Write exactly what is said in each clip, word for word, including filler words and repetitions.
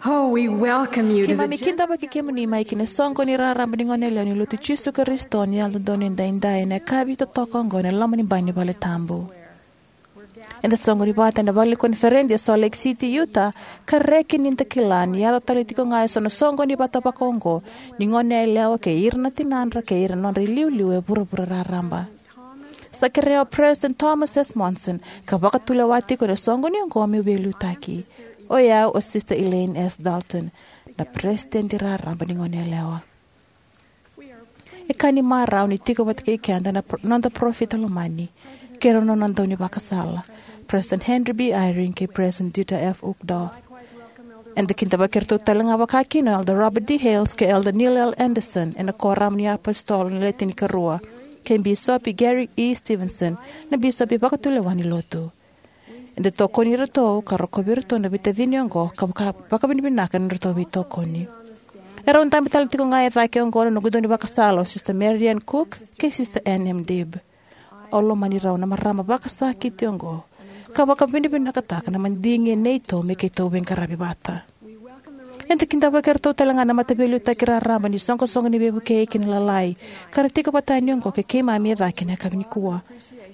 Oh, we welcome you to the Keimami kidavaki kemuni mai ki na soqo ni raraba ni goneyalewa ni Lotu Jisu Karisito ni Yalododonu Edaidai ena yakavi totoka oqo ena loma ni bai ni vale tabu. Eda soqoni vata ena vale ni koniferedi e Salt Lake City, Utah, ka reki ni da kila ni yaco tale tiko ga eso na soqoni vata vakaoqo ni goneyalewa kei ira na tinadra kei ira na nodra iliuliu e vuravura raraba. Sa kerea o President Thomas S. Monson ka vakatulewa tiko ena soqoni oqo meu veiliutaki. O yau o Sister Elaine S. Dalton, na Peresitedi Raraba ni Goneyalewa. E ka ni marau ni tiko vata kei keda na pro-, noda parofita lomani kei ira na nona daunivakasala, President Henry B. Eyring kei President Dieter F. Uchtdorf. Eda kidavaki iratou tale ga vakakina o Elder Robert D. Hales kei Elder Neil L. Andersen ena Kuoramu ni iApositolo ni Le Tinikarua, kei Bisopi Gary E. Stevenson, na bisopi vakatulewa ni Lotu. Eda tokoni iratou ka rokovi iratou na veitacini oqo ka vaka-, vakavinavinaka ena nodratou veitokoni. E rau dabe tale tiko ga e cake oqo na noqu daunivakasala o Sister Marian Cook kei Sister Ann M. Dibb. Au lomani rau na marama vakasakiti oqo ka vakavinavinakataka na madigi e neitou me keitou veiqaravi vata. Eda kidavaki iratou tale ga na Mataveiliutaki Raraba ni Soqosoqo ni Veivukei kei na Lalai ka ra tiko vata yani oqo kei keimami e cake ena yakavi nikua.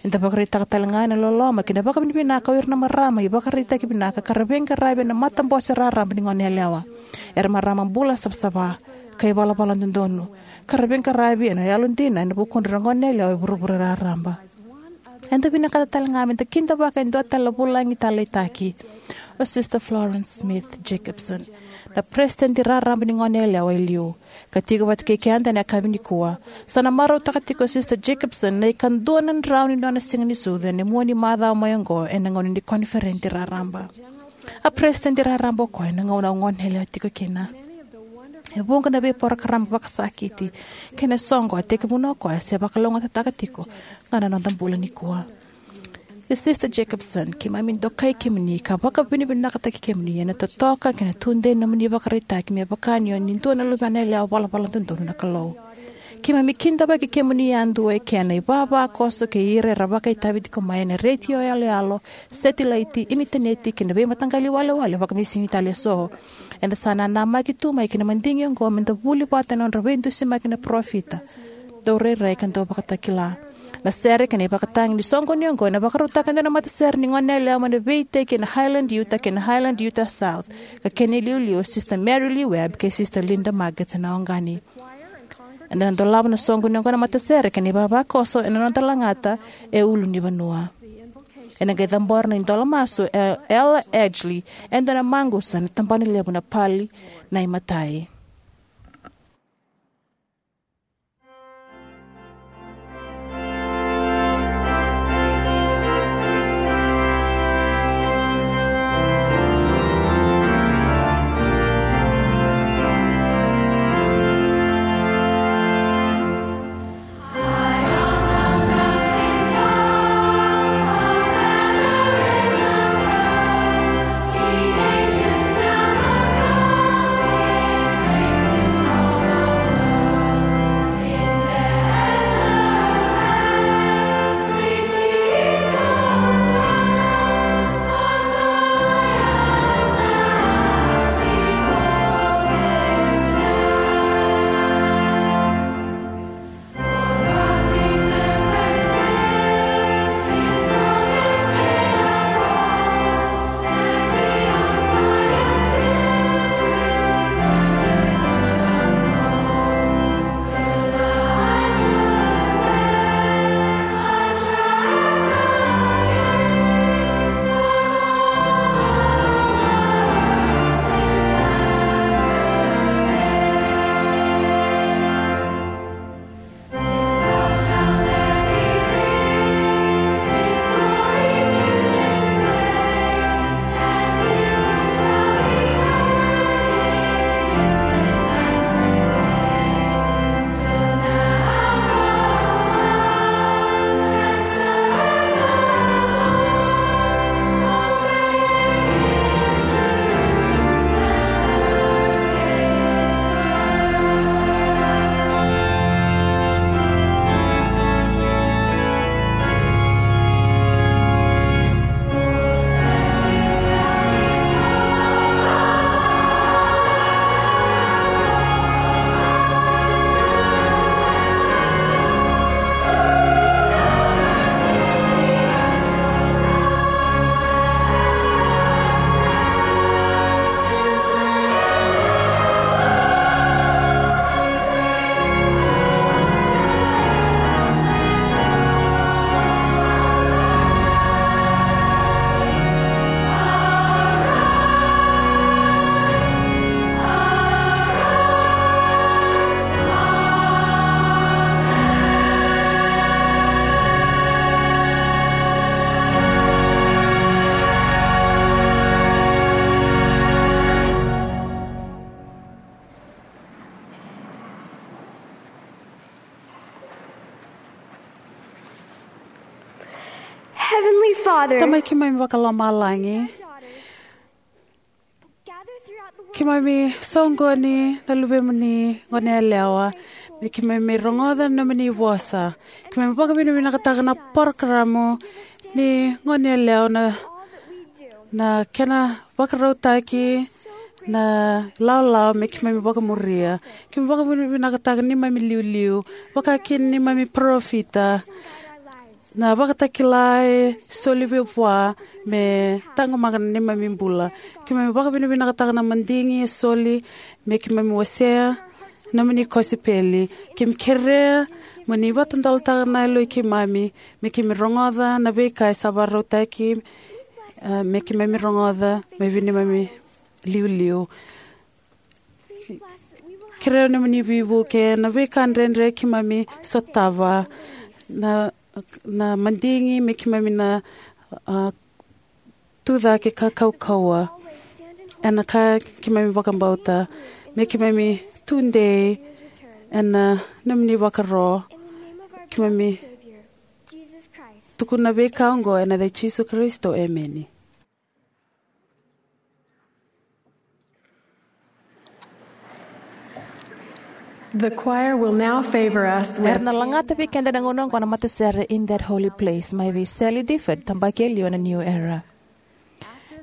Eda vakaraitaka tale ga na loloma kei na vakavinavinaka o ira na marama ivakaraitaki vinaka ka ra veiqaravi ena matabose raraba ni goneyalewa. Era marama bula savasava ka ivalavala dodonu ka ra veiqaravi ena yalodina ena vukudra na goneyalewa e vuravura raraba. Eda vinakata tale ga meda kidavaka e dua tale na vulagi taleitaki, o Sister Florence Smith Jacobson, na Peresitedi Raraba ni Goneyalewa e liu, ka tiko vata kei keda ena yakavi nikua. Sa na marautaka tiko o Sister Jacobson na ikadua na drau ni nona siga ni sucu ena mua ni macawa mai oqo ena gauna ni koniferedi raraba. A Peresitedi Raraba o koya ena gauna au goneyalewa tiko kina. E vuqa na veiporokaramu vakasakiti kei na soqo a tekivuna o koya se vakalougatataka tiko ga na noda bula nikua. E Sister Jacobson, keimami dokai kemuni ka vakavinavinakataki kemuni ena totoka kei na tudei ni nomuni ivakaraitaki me vaka ni o ni dua na luvena yalewa valavala dodonu na Kalou. Keimami kidavaki kemuni yadua e kena ivavakoso kei ira era vakaitavi tiko mai ena retio yaloyalo, setilaiti, initaneti kei na veimataqali walewale vakamisini tale eso. Eda sa nanamaki tu mai ki na madigi oqo meda vuli vata ena nodra veidusimaki na parofita, daurairai ka dauvakatakila. Na sere kei na ivakatagi ni soqoni oqo ena vakarautaka e dua na matasere ni goneyalewa mai na veiteki ena Highland Utah kei na Highland Utah South, ka kena iliuliu o Sister Mary Lee Webb kei Sister Linda Maggots ena oqani. Eda na dolava na soqoni oqo na matasere kei na ivavakoso ena noda lagata e ulunivanua. Ena qai cabora na idola masu e Ella Edgley, e dua na maqusa ena tabana levu na Pali na iMatai. Father, Tamai keimami vakalomalagi, keimami soqoni na luvemuni gone yalewa me keimami rogoca na nomuni vosa. Keimami vakavinavinakataka na parokaramu ni gone yalewa, na, na kena vakarautaki na ilawalawa me keimami vakamuria. Keimami vakavinavinakataka neimami iliuliu, vakakina neimami parofita, na ivakatakila e soli vei vua me taqomaka na neimami bula. Keimami vakavinavinakataka na madigi e soli me keimami wasea na nomuni kosipeli. Keimami kerea mo ni vakatadolataka na yaloi keimami me keimami rogoca na veika e sa vakarautaki, eh, me keimami rogoca mai vei neimami iliuliu. Kerea na nomuni veivuke na veika dredre keimami sotava, na, na madigi me keimami na, ah, tucake ka kaukauwa ena ka keimami vakabauta, me keimami tudei ena nomuni vakaro. Keimami tukuna veika oqo ena yaca i Jisu Karisito, emeni. The choir will now favor us with Era na lagata vei keda na gauna oqo na matasere In That Holy Place mai vei Sally Difford, tabaki e liu ena New Era.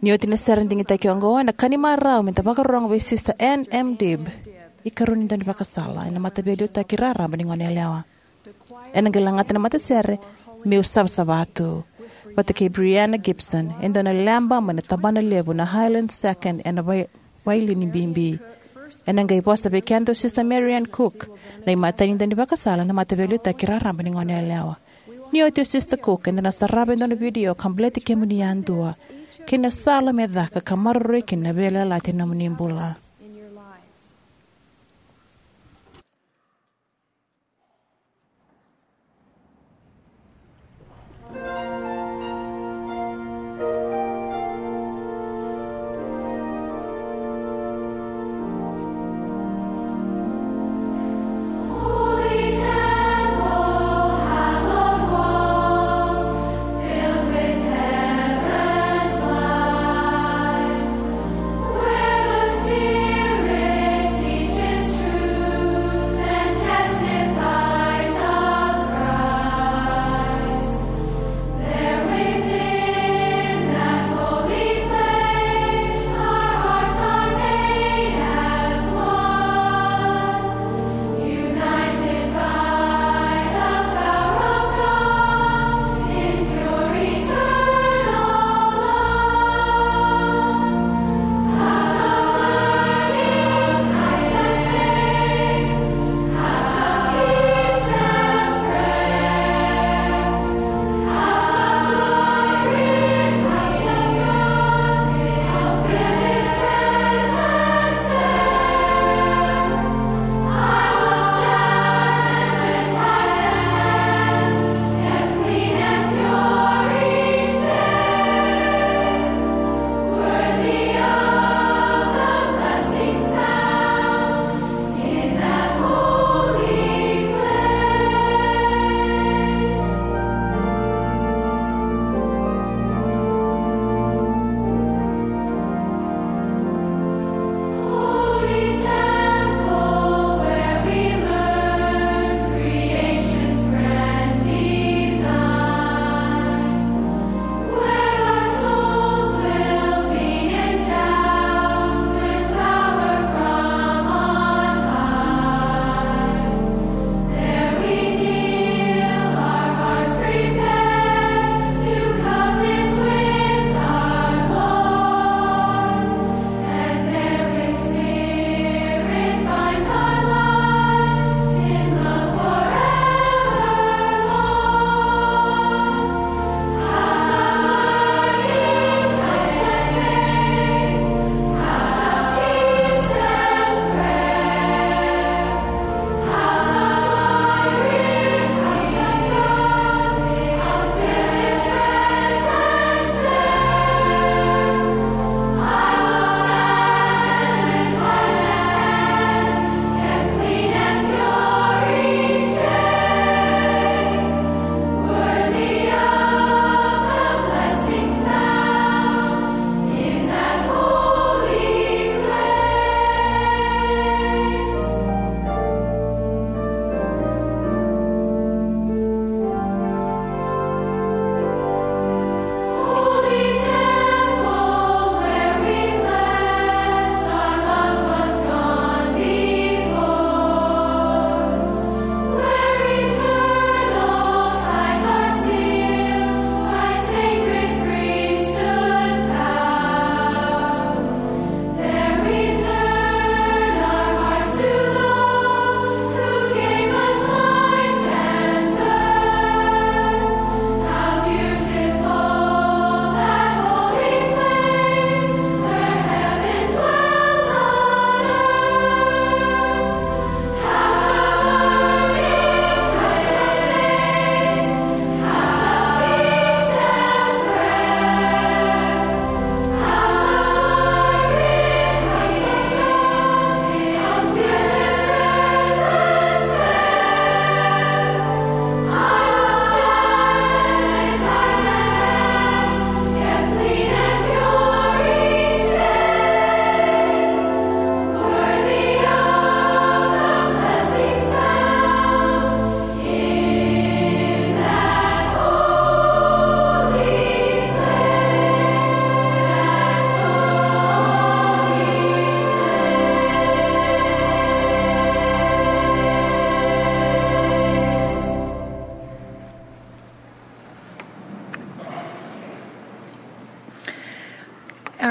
Ni oti na sere digitaki oqo, ena ka ni marau me da vakarorogo vei Sister Ann M. Dibb, ikarua ni daunivakasala ena Mataveiliutaki Raraba ni Gone Yalewa. Ena qai lagata na matasere Meu Savasava Tu, vata kei Brianna Gibson, e dua na leba mai na tabana levu na Highland Second ena Vai-, Vailini Bibi. Ena qai vosa vei keda o Sister Marian Cook, na imatai ni daunivakasala ena Mataveiliutaki Raraba ni Gone Yalewa. Ni oti o Sister Cook, eda na sarava e dua na vidio ka baleti kemuni yadua kei na sala me caka ka maroroi kina na veiyalayalati ena nomuni bula.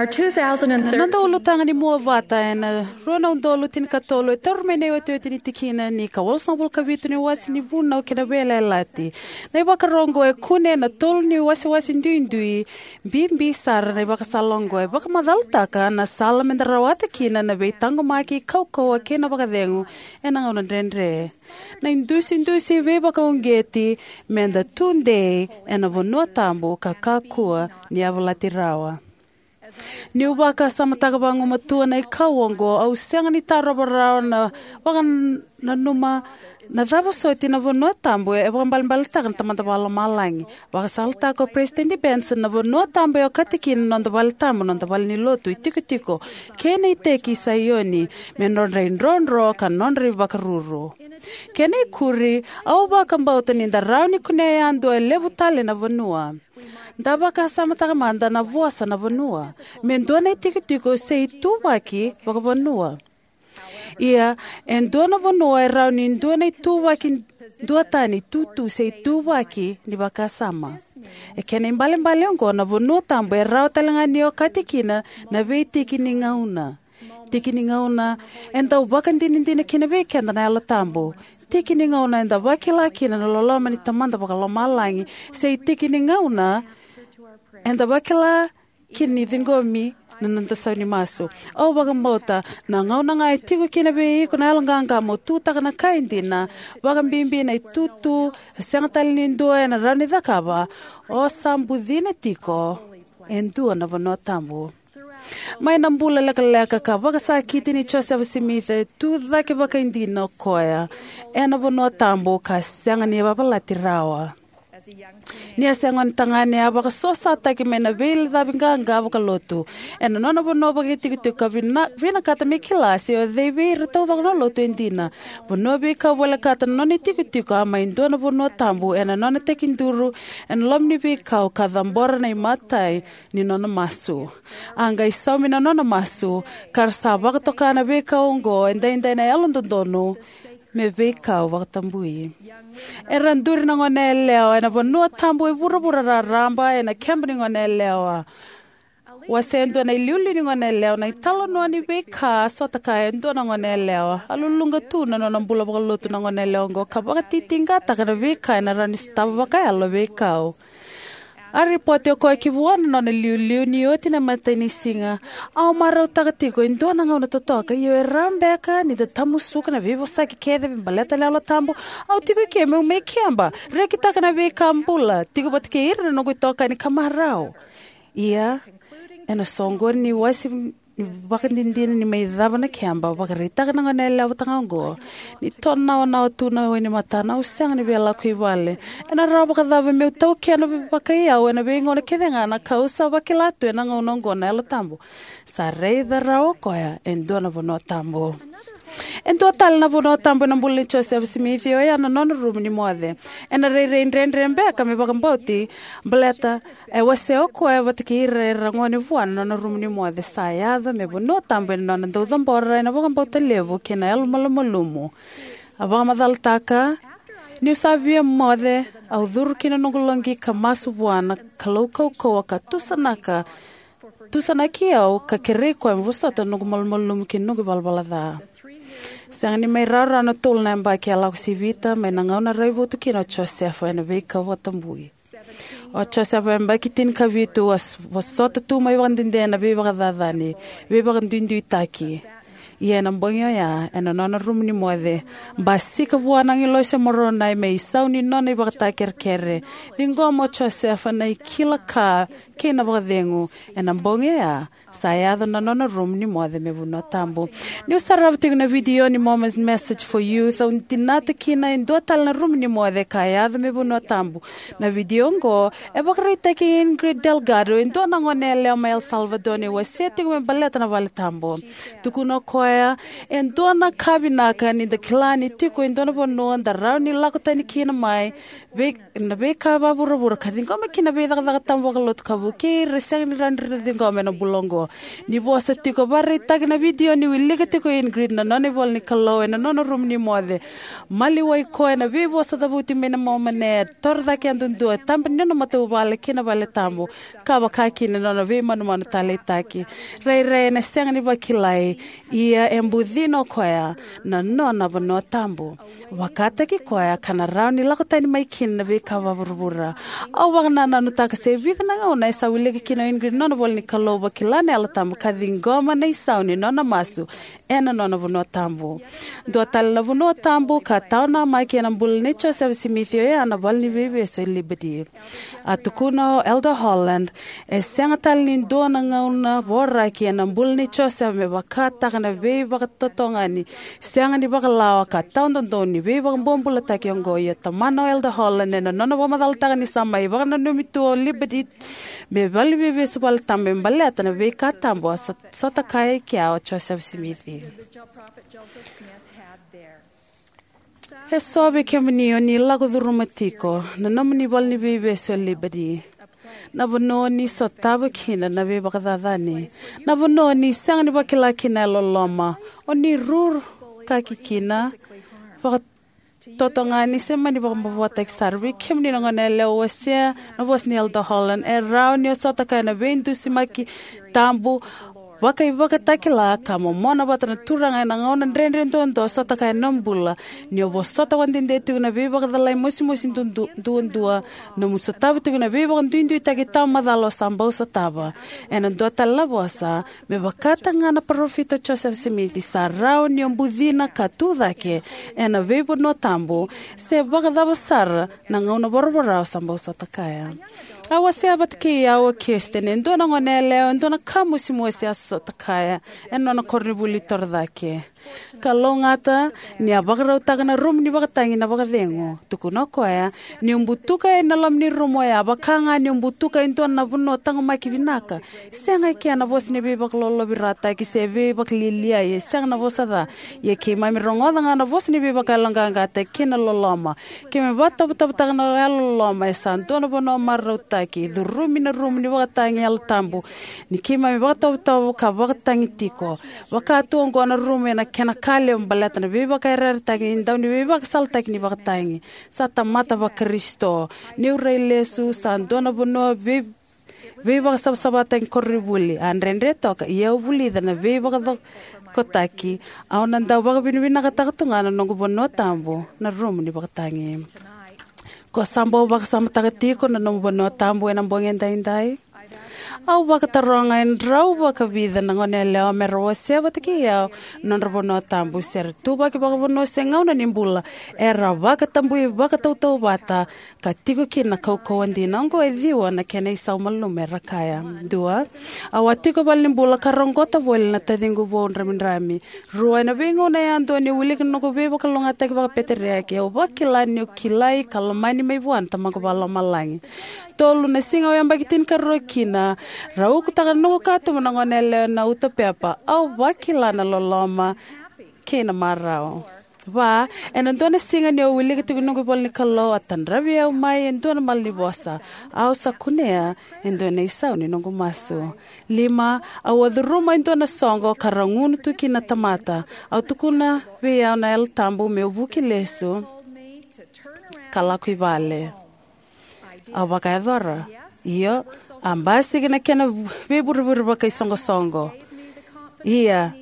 Na noda ulutaga ni mua vata ena rua na udolu tinikatolu e tauri mai na iotioti ni tikina ni ka walusagavulu ka vitu ni wase ni Vunau kei na Veiyalayalati. Na ivakaro oqo e kune ena tolu ni wasewase duidui. Bibi sara na ivakasala oqo e vakamacalataka na sala meda rawata kina na veitaqomaki, kaukauwa kei na vakacegu ena gauna dredre. Na idusidusi veivakauqeti meda tudei ena vanua tabu ka kakua ni yavalati rawa. Niu vakasamataka vagumatua na ikau oqo, au sega ni tarova rawa na vakananuma na cava soti na vanua tabu e vakaibalebaletaka na Tamada Vakalomalagi. Vakasalataka o Peresitedi Benson, na vanua tabu e okati kina na noda vale tabu, noda vale ni lotu, itikotiko kei na iteki i Saioni, me nodra idrodro ka nodra ivakaruru. Kena ikuri, au vakabauta ni da rawa ni kunea yadua e levu tale na vanua. Da vakasamataka mada na vosa na vanua, me dua na itikotiko se ituvaki vakavanua. Ia, e dua na vanua e rawa ni dua na ituvaki duatani, tutu se ituvaki ni vakasama. E kena ibalebale oqo, na vanua tabu e rawa talega ni okati kina na veitiki ni gauna. Tiki ni gauna e dau vakadinadina kina vei keda na Yalo Tabu. Tiki ni gauna eda vakila kina na loloma ni Tamada Vakalomalagi, se tiki ni gauna eda vakila kina ni ciqomi na noda sau ni masu. Au vakabauta na gauna ga e tiko kina vei iko na yaloqaqa mo tutaka na ka e dina, vakabibi na itutu e sega tale ni dua ena rawa ni cakava, o sa bucina tiko e dua na vanua tabu. Mai na bula lekaleka ka vakasakiti ni Josefa Simici, e tu cake vakaidina o koya ena vanua tabu ka sega ni yavalati rawa. Ni a se gone tagane, a vakasosataki mai na veilacavi qaqa vakalotu ena nona vanua vakaitikotiko ka vina-, vinakata me kila se o cei vei ira taucoko na lotu e dina. Vanua veikau volekata na nona itikotiko, a mai dua na vanua tabu ena nona tekiduru ena loma ni veikau ka cabora na imatai ni nona masu. A qai saumi na nona masu, ka ra sa vakatoka na veikau oqo edaidai na Yalododonu me veikau vakatabui. Era duri na goneyalewa ena vanua tabu e vuravura raraba ena keba ni goneyalewa. Wasea e dua na iliuliu ni goneyalewa na italanoa ni veika a sota kaya e dua na goneyalewa. A luluqa tu na nona bula vakalotu na goneyalewa oqo ka vakatitiqataka na veika ena rawa ni sotava vakayalo e veikau. A ripoti o koya ki vua na nona iliuliu ni oti na imatai ni siga: "Au marautaka tiko e dua na gauna totoka, io e rawa beka ni da tamusuka na veivosaki kece me baleta na Yalo Tabu. Au tiko eke meu mai keba, rekitaka na veika bula, tiko vata kei ira na noqu itokani ka marau." Ia, ena soqoni ni wasi ni vakadidina ni mai cava na keba, vakaraitaka na goneyalewa vata ga oqo ni tonawanawa tu na wai ni matana, "Au sega ni via lako i vale. Ena rawa vakacava meu taukena vakaiyau ena veigauna kece ga na ka au sa vakila tu ena gauna oqo na Yalo Tabu?" Sa raica rawa o koya e dua na vanua tabu. E dua tale na vanua tabu ena bula nei Josefa Simici, oya na nona rumu ni moce. Ena rairai dredre beka me vakabauti, baleta e wasea o koya vata kei ira era gone vua na nona rumu ni moce. Sa yaco me vanua tabu ena nona dau cabora ena vakabauta levu kei na yalomalumalumu. A vakamacalataka: "Niu sa via moce, au curu ki na noqu loqi ka masu vua na Kalou kaukauwa ka tusanaka, tusanaki au ka kerei koya me vosota na noqu malumalumu kei na noqu ivalavala ca." Sega ni mai rawarawa na tolu na yabaki a lako sivita mai na gauna raivotu kina o Josefa ena veikau vakatabui. O Josefa, yabaki tinikavitu, a s-, vosota tu mai vakadede na veivakacacani, veivakaduiduitaki. Ia ena bogi oya, ena nona rumu ni moce, basika vua na agilosi o Moronai me isau ni nona ivakatakekere. Ciqoma o Josefa na ikila ka kei na vakacegu. Ena bogi oya, sa yaco na nona rumu ni moce me vanua tabu. Niu sarava tiko na vidio ni Mormons Message for Youth, au dinata kina e dua tale na rumu ni moce ka yaco me vanua tabu. Na vidio oqo e vakaraitaki Ingrid Delgado, e dua na goneyalewa mai El Salvador, ni wasea tiko me baleta na vale tabu. Tukuna o koya Oya e dua na ka vinaka ni da kila ni tiko e dua na vanua da rawa ni lako tani kina mai vei, na veika vavuravura ka ciqoma kina veicakacaka tabu vakalotu ka vukei ira e sega ni rawa ni ra ciqoma ena bula oqo. Ni vosa tiko, vakaraitaki na vidio ni wilika tiko o Ingrid na nona ivola ni Kalou ena nona rumu ni moce. Maliwai koya ena veivosa cavuti mai na Momani, torocake yadudua, tabe ni nona matavuvale kei na vale tabu, ka vaka kina na nona veimanumanu taleitaki. Rairai ena sega ni vakilai, ia e bucina o koya na nona vanua tabu. Vakataki koya ka na rawa ni lako tani mai kina na veika vavuravura. Au vakanananutaka se vica na gauna e sa wilika kina o Ingrid na nona ivola ni Kalou, vakila na Yalo Tabu ka ciqoma na isau ni nona masu ena nona vanua tabu. Dua tale na vanua tabu ka tawa namaki ena bula nei Josefa Simici oya na Valeniveivesu e Liberty. A tukuna o Elder Holland, e sega tale ni dua na gauna voraki ena bula nei Josefa me vakataka na veivakatotogani sega ni vakalawa ka tawadodonu ni veivakabobulataki oqo. Ia tamana o Elder Holland, ena nona vakamacalataka ni sa mai vakananumi tu o Liberty me Valeniveivesu vale tabu me baleta na veika tabu a sot-, sotakaya e kea o Josefa Simici. Eso vei kemuni o ni lako curuma tiko na nomuni Valeniveivesu e Liberty, na vanua o ni sotava kina na veivakacacani, na vanua o ni sega ni vakila kina na yalololoma, o ni ruru kaki kina vakatotogani se mani vakamavoataki sara. Vei kemuni na goneyalewa, wasea na vosa ni Elder Holland. E rawa ni o sotakaya na veidusimaki tabu vakaivakatakila ka momona vata na Turaga ena gauna dredre duadua o sotakaya ena nomu bula, ni o vosota vakadede tiko na veivakacalai mosimosi dudu-, duadua, nomu sotava tiko na veivakaduiduitaki tawamacala o sa bau sotava. Ena dua tale na vosa, me vakataka ga na parofita o Josefa Simici, sa rawa ni o bucina ka tucake ena veivanua tabu, se vakacava sara na gauna voravora o sa bau sotakaya. A wasea vata kei au o Kirsten e dua na goneyalewa e dua na ka mosimosi a sotakaya ena nona koronivuli torocake. Kalougata ni a vakarautaka na rumu ni vakatagi na vakacegu. Tukuna o koya, ni o butuka yani na loma ni rumu oya, vaka ga ni o butuka e dua na vanua taqomaki vinaka. Sega e kea na vosa ni veivakalolovirataki se veivakalialiai, e sega na vosa ca. Ia keimami rogoca ga na vosa ni veivakayaloqaqataki kei na loloma. Keimami vakatovotovotaka na yalololoma, e sa dua na vanua marautaki, curumi na rumu ni vakatagi Yalo Tabu, ni keimami vakatovotovo ka vakatagi tiko. Vaka tu oqo na rumu ena kena ka levu baleta na veivakayarayarataki ni dau ni veivakasalataki ni vakatagi. Sa tamata vaKarisito. Niu rai lesu, sa dua na vanua vei-, veivakasavasavataki koronivuli. A dredre toka, ia au vulica na veivakacokotaki. Au na dau vakavinavinakataka tu ga na noqu vanua tabu, na rumu ni vakatagi. Ko sa bau vakasamataka tiko na nomu vanua tabu ena bogi edaidai? Au vakataroga e drau vakavica na goneyalewa me ra wasea vata kei au na nodra vanua tabu, se ra tuvaki vakavanua se gauna ni bula, era vakatabui vakatautauvata ka tiko kina na kaukauwa dina. Oqo e ciwa na kena isau malumalumu era kaya. Dua, au a tiko valenibula ka roqota voli na taciqu vou dramidrami. Rua, ena veigauna yadua niu wilika na noqu veivakalougatataki vakapeteriaki, au vakila niu kilai ka lomani mai vua na Tamaqu Vakalomalagi. Tolu, na siga au yabaki tinikarua kina, ra ukutaka na noqu katuba na goneyalewa ena uto pepa. Au vakila na loloma kei na marau. Va, ena dua na siga niu wilika tiko na noqu ivola ni Kalou, a tadravi au mai e dua na malanivosa. Au sa kunea e dua na isau ni noqu masu. Lima, au a curuma e dua na soqo ka ra gunu tu kina na tamata. Au tukuna vei au na Yalo Tabu meu vuki lesu ka lako i vale. Au vakayacora. Io, a basika na kena veivurevure vakaisoqosoqo. Ia,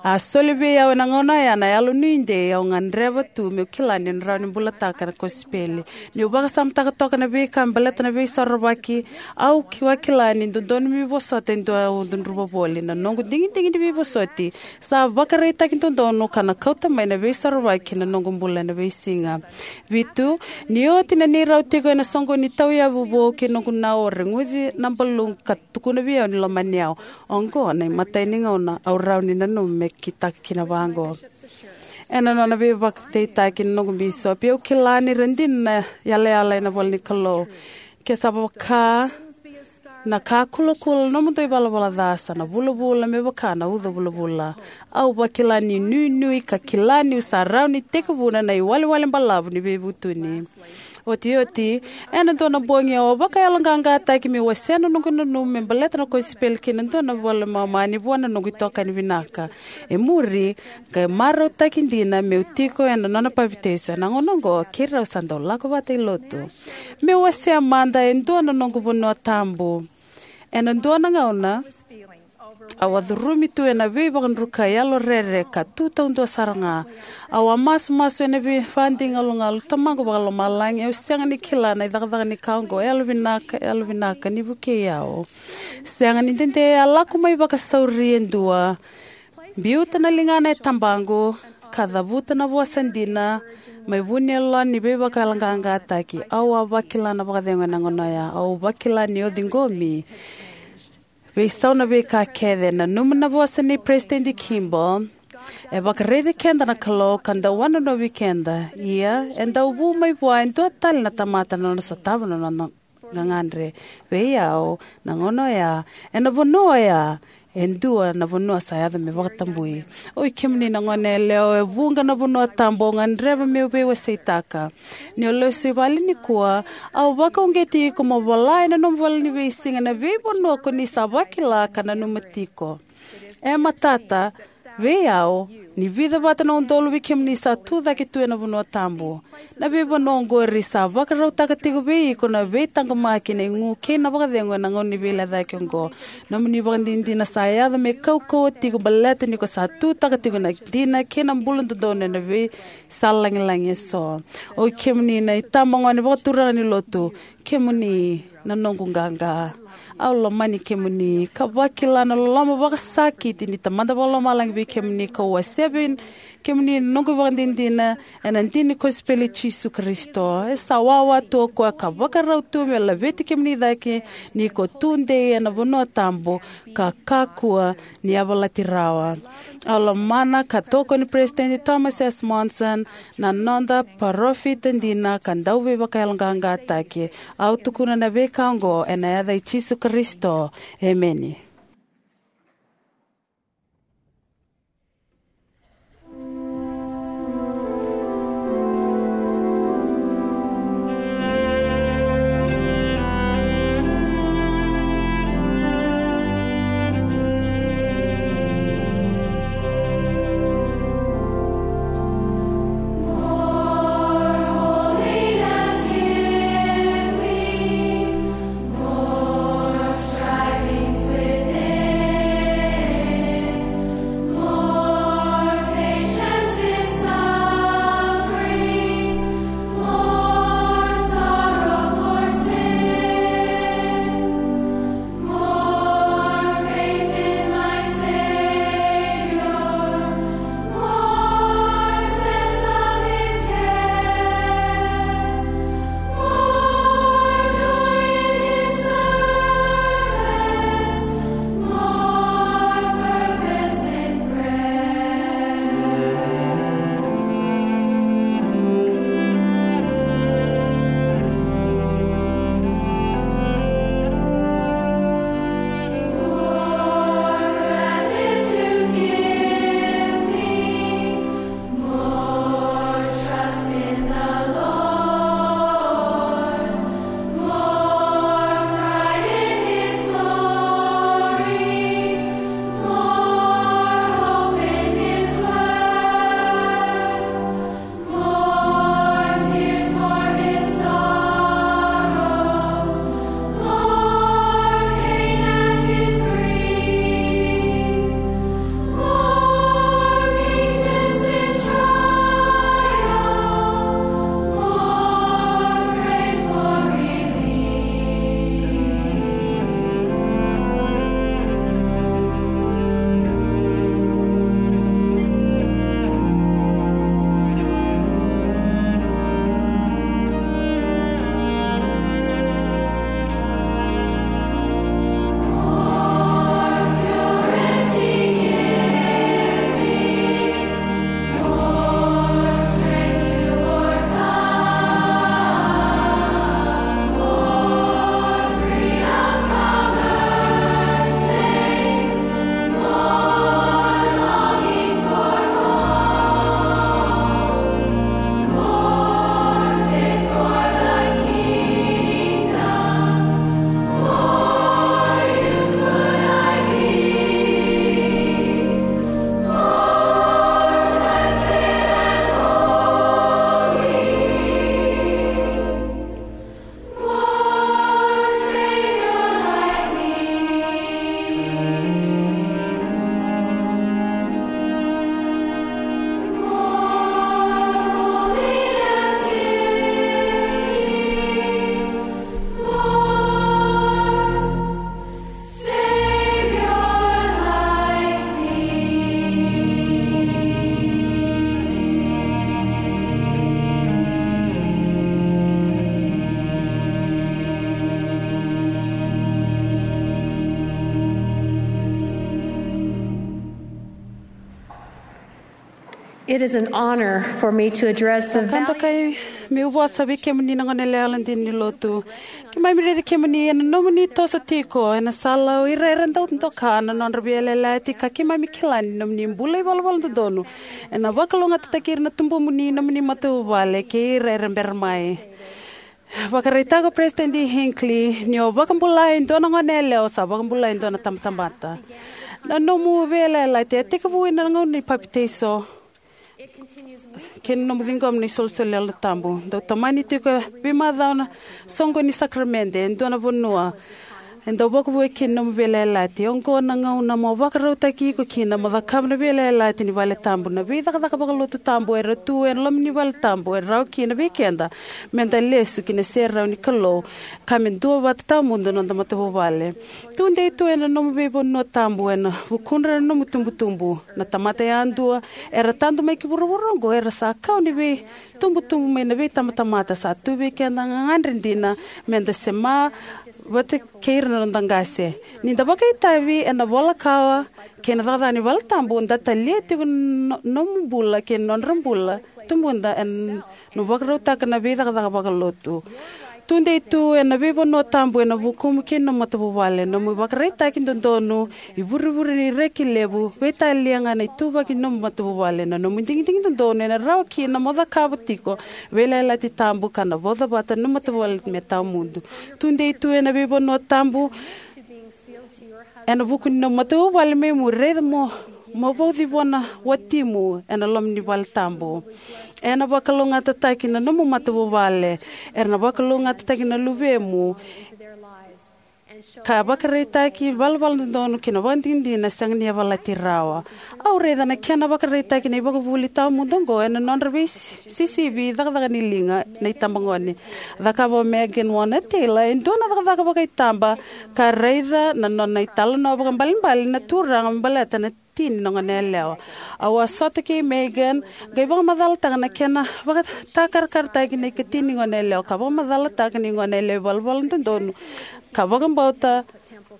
a soli vei au ena gauna oya na yalo nuidei au gadreva tu meu kila niu na rawa ni bulataka na kosipeli. Niu vakasamataka toka na veika me baleta na Veisorovaki, au ki-, vakila ni dodonu meu vosota e dua au cudruva voli. Na noqu digidigi ni veivosoti sa vakaraitaki dodonu ka na kauta mai na Veisorovaki ki na noqu bula ena veisiga. Vitu, ni oti na neirau tiko ena soqoni ni tauyavu vou kei noqu nau, au reguci na baluqu ka tukuna vei au ni lomani au. Oqo na imatai ni gauna au rawa ni nanuma me kitaka kina vaqo. Ena nona veivakadeitaki na noqu bisopi, au kila ni ra dina na yalayala ena ivola ni Kalou. Ke sa vaka Na ka kulakula na nomudou ivalavala ca sa na vulavula me vaka na uca vulavula. Au vakila ni nuinui ka kila niu sa rawa ni tekivuna na iwalewale balavu ni veivutuni. Otioti, ena dua na bogi au a vakayaloqaqataki meu wasea na noqu nanuma me baleta na kosipeli kei na dua na vale mamani vua na noqu itokani vinaka. E muri, qai marautaki dina meu tiko ena nona papitaiso. Ena gauna oqo keirau sa dau lako vata i lotu. Meu wasea mada e dua na noqu vanua tabu. Ena dua na gauna, au a curumi tu ena veivakadrukai, yalo rere ka tu taudua sara ga. Au a masumasu ena veivakadigalugalu: Tamaqu Vakalomalagi, au sega ni kila na icakacaka ni ka oqo. Yalovinaka, yalovinaka ni vukei au. Sega ni dede, a lako mai vakasauri e dua, biuta na ligana e tabaqu, ka cavuta na vosa dina mai vu ni yalona ni veivakayaloqaqataki. Au a vakila na vakacegu ena gauna oya. Au vakila ni o ciqomi. Veisau na veika kece. Nanuma na vosa nei Peresitedi Kimball: E vakaraici keda na Kalou ka dau wanonovi keda. Ia, e dau vu mai vua e dua tale na tamata na nona sotava na nona gagadre. Vei au, na gauna oya, ena vanua oya, e dua na vanua sa yaco me vakatabui. Oi kemuni na goneyalewa, e vuqa na vanua tabu au gadreva meu veiwaseitaka. Niu lesu i vale nikua, au vakauqeti iko mo vola ena nomu ivola-ni-veisiga na veivanua ko ni sa vakila ka nanuma tiko. E matata vei au ni vica vata na udolu vei kemuni sa tucake tu ena vanua tabu. Na veivanua oqori sa vakarautaka tiko vei iko na veitaqomaki, na igu kei na vakacegu ena gauna ni veilecayaki oqo. Nomuni ivakadinadina sa yaco me kaukauwa tiko baleta ni ko sa tutaka tiko na dina kei na bula dodonu ena veisala lagilagi eso. Oi kemuni na itabagone vakaturaga ni lotu, kemuni na noqu qaqa. Au lomani kemuni ka vakila na loloma vakasakiti ni Tamada Vakalomalagi vei kemuni, kau wasea vei kemuni na noqu ivakadinadina ena dina ni kosipeli i Jisu Karisito. E sa wawa tu o koya ka vakarau tu me laveti kemuni cake ni ko tudei ena vanua tabu ka kakua ni yavalati rawa. Au lomana ka tokoni Peresitedi Thomas S. Monson, na noda parofita dina ka dauveivakayaloqaqataki. Au tukuna na veika oqo ena yaca i Jisu Karisito. Emeni. It is an honor for me to address the Ka dokai meu vosa vei kemuni na gone yalewa dina ni lotu. Keimami raici kemuni ena nomuni toso tiko ena sala o ira era dau doka na nodra veiyalayalati, ka keimami kila ni nomuni bula ivalavala dodonu ena vakalougatataki ira na tubumuni, nomuni matavuvale kei ira era bera mai. Vakaraitaka o Peresitedi Hinckley ni o vakabulai e dua na gone yalewa sa vakabulai e dua na tabatamata. Na nomu veiyalayalati e tekivu ena gauna ni papitaiso kei na nomu ciqoma na isolisoli ni Yalo Tabu. Dau tomani tiko e veimacawa na soqoni ni sakaramede e dua na vanua e dau vakavouya kina na nomu veiyalayalati. Oqo na gauna mo vakarautaki iko kina mo cakava na veiyalayalati ni vale tabu. Na veicakacaka vakalotu tabu era tu ena loma ni vale tabu e rawa kina vei keda meda lesu ki na serau ni Kalou ka me duavata tawamudu na noda matavuvale. Tudei tu ena nomu veivanua tabu ena vukudra na nomu tubutubu. Na tamata yadua era tadu mai ki vuravura oqo era sa kau ni veitubutubu mai na veitabatamata. Sa tu vei keda na gagadre dina meda sema vata kei ira na noda qase. Ni da vakaitavi ena vola kawa kei na cakacaka ni vale tabu, da talia tiko na no-, nomu bula kei na nodra bula tubuda ena vakarautaka na veicakacaka vakalotu. Tudei tu ena veivanua tabu ena vukumu kei na nomu matavuvale. Nomu ivakaraitaki dodonu, ivurevure ni reki levu, veitalia ga na ituvaki ni nomu matavuvale. Na nomu digidigi dodonu ena rawa kina mo cakava tiko veiyalayalati tabu ka na vauca vata na nomu matavuvale me tawamudu. Tudei tu ena veivanua tabu ena vuku ni nomu matavuvale, me mu raica mo, mo vauci vua na watimu ena loma ni vale tabu. Ena vakalougatataki na nomu matavuvale, era na vakalougatataki na luvemu, ka vakaraitaki valavala dodonu kei na vakadinadina sega ni yavalati rawa. Au raica na kena vakaraitaki na ivakavuvuli tawamudu oqo ena nodra veisisivi cakacaka ni liga na itabagone. Cakava o Megan Warner Taylor e dua na cakacaka vakaitaba ka raica na nona italanoa vakaibalebale na Turaga me baleta na ikatini ni gone yalewa. Au a sota kei Megan, qai vakamacalataka na kena vakatakarakarataki na ikatini ni gone yalewa, ka vakamacalataka ni gone yalewa ivalavala dodonu ka vakabauta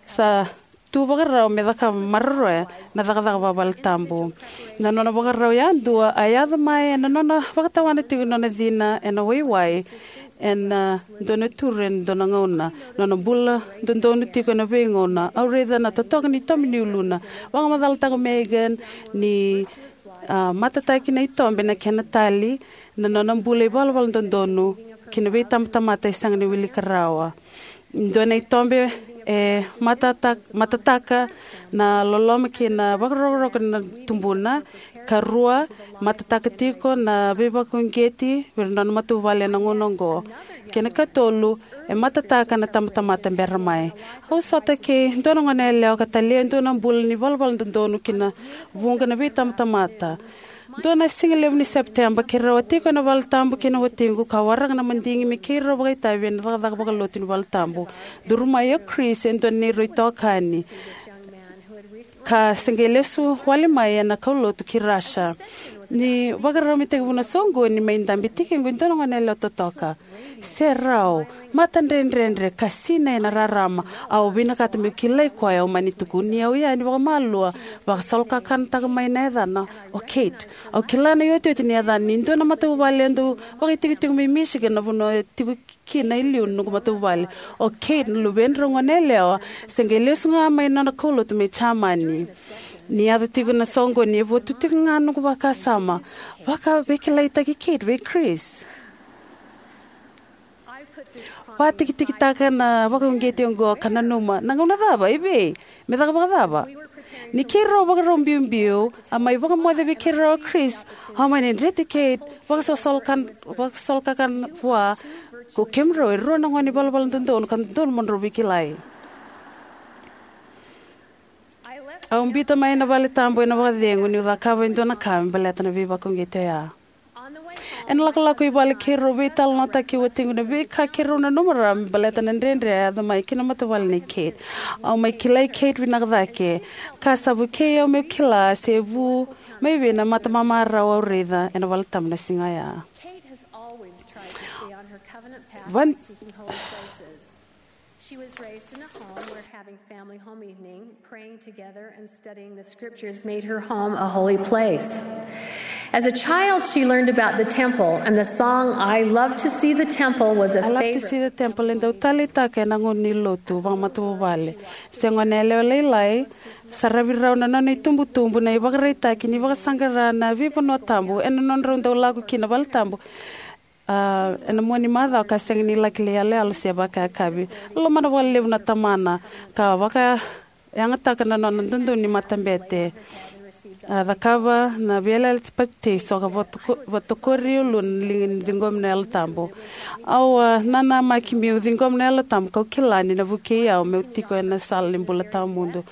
sa tu vakarau me cakava maroroya na cakacaka vavale tabu. Na nona vakarau yadua a yaco mai ena nona vakatawana tiko na nona cina ena waiwai ena dua na turu ena dua na gauna. Nona bula dodonu tiko ena veigauna. Au raica na totoka ni tobe ni uluna. Vakamacalataka o Megan ni, a, matataki na itobe na kena tali na nona bula ivalavala dodonu ki na veitabatamata e sega ni wilika rawa. Dua na itobe e matata-, matataka na loloma kei na vakarokoroko na tubuna. Karua, matataka tiko na veivakauqeti vei ira na nona matavuvale ena gauna oqo. Kei na katolu, e matataka na tabatamata bera mai. Au sota kei dua na gone yalewa ka talia e dua na bula ni valavala dodonu ki na vuqa na veitabatamata. Dua na siga levu ni Sepiteba, keirau a tiko ena vale tabu kei na watiqu ka waraka na madigi me keirau vakaitavi ena cakacaka vakalotu ni vale tabu. Curu mai o Chris, e dua na neirau itokani ka se qai lesu wale mai ena kaulotu ki Russia. Ni vakarau me tekivu na soqoni, mai dabe tiko e dua na gone yalewa totoka. Serau, matadredredre ka sinai ena rarama. Au vinakata meu kilai koya. Au mani tukuni au yani vakamalua, vakasolokakanataka mai na yacana o Kate. Au kila na iotioti ni yacana ni dua na matavuvale e dau vakaitikotiko mai Michigan, na vanua e tiko kina e liu na noqu matavuvale. O Kate, na luvedrau gone yalewa, se qai lesu ga mai na nona kaulotu mai Jamani. Ni yaco tiko na soqoni, e votu tiko ga na noqu vakasama. Vakaveikilaitaki Kate vei Chris. Vakatikitikitaka na vakauqeti oqo ka nanuma, na gauna cava, evei me caka vakacava? Ni keirau vakarau biubiu, a mai vakamoce vei keirau o Chris. Au mani dreti Kate, vakasosolokan-, vakasolokakana vua. Ko kemudrau e rua na gone ivalavala dodonu ka dodonu mo drau veikilai. Au biuta mai na vale tabu ena vakacegu niu cakava e dua na ka me baleta na veivakauqeti oya. Ena lakolako i vale, keirau veitalanoataki kei watiqu na veika keirau nanuma rawa me baleta na dredre a yaco mai ki na matavuvale nei Kate. Au mai kilai Kate vinaka cake, ka sa vukei au meu kila se vu mai vei na matamamarau au raica ena vale tabu na siga oya. Kate has always tried to stay on her covenant path Van- of seeking holy places. She was raised in a home where having family home evening, praying together, and studying the scriptures made her home a holy place. As a child, she learned about the temple, and the song "I Love to See the Temple" was a I love to favorite. See the temple e dau taleitaka ena gauna ni lotu vakamatavuvale. Se gone yalewa lailai, saravi rau na nona itubutubu na ivakaraitaki ni vakasaqara na veivanua tabu ena nodrau dau lako ki na vale tabu. A, ena mua ni macawa ka sega ni laki lai yaloyalo se vakayakavi. Lomana vakalevu na tamana ka vakayagataka na nona dodonu ni matabete. A cakava na veiyalayalati papitaiso ka vatoko-, vatokori au lua na liga ni ciqomi na Yalo Tabu. Au a nanamaki meu ciqoma na Yalo Tabu kau kila ni na vukei au meu tiko ena sala ni bula tawamudu.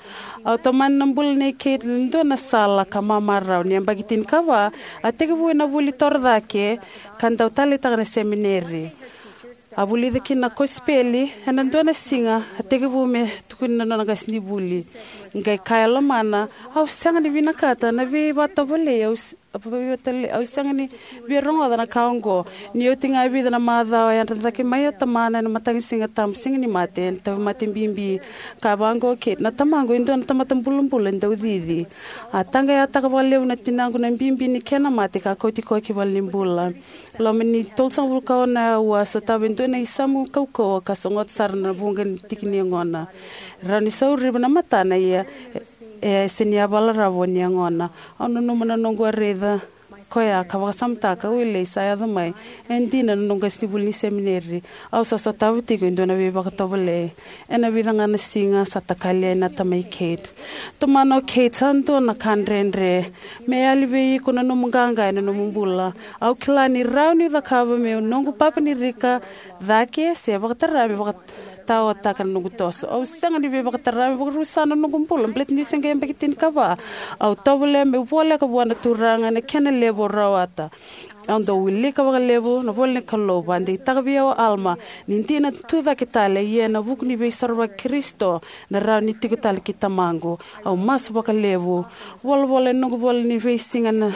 Au tomani na bula nei Kate ena dua na sala ka mamarau. Ni yabaki tinikava, a tekivu ena vuli torocake ka dau taleitaka na semineri. A vulica kina na kosipeli. Ena dua na siga, a tekivu me tukuni na nona qasenivuli. Qai kaya e lomana, au sega ni vinakata na veivakatovolei au s-, au veivatali-, au sega ni via rogoca na ka oqo. Ni oti ga e vica na macawa, a yadra cake mai o tamana ena mataqasiga tabu, Siga ni Mate, ena tauvimate bibi. Kaya vaqo o Kate, na tamaqu e dua na tamata bulabula dau cici. A taqayataka vakalevu na tinaqu na bibi ni kena mate ka kauti koya ki valenibula. Loma ni tolusagavulu ka ono na aua, a sotava e dua na isamu kaukauwa ka sogota sara na vuqa ni tiki ni yagona. Rawa ni sauriva na matana, ia e, e sega ni yavala rawa ni yagona. Au nanuma na noqu a raica koya ka vakasamataka, wilei, sa yaco mai. E dina na noqu qasenivuli ni semineri. Au sa sotava tiko e dua na veivakatovolei. Ena vica ga na siga sa takali yani na tamai Kate. Tomana o Kate, sa dua na ka dredre. Me yali vei iko na nomu qaqa ena nomu bula. Au kila ni rawa niu cakava meu noqu papanirika cake se vakatara me vakataotaka na noqu toso. Au sega ni veivakatara me vakarusa na noqu bula baleta niu se qai yabaki tinikava. Au tovolea meu voleka vua na Turaga ena kena levu au rawata. Au dau wilika vakalevu na ivola ni Kalou. Vakadeitaka vei au o Alama ni dina tu cake tale, ia ena vuku ni veisorovaki i Karisito na rawa ni tiko tale kei tamaqu. Au masu vakalevu. Volavola ena noqu ivola ni veisiga na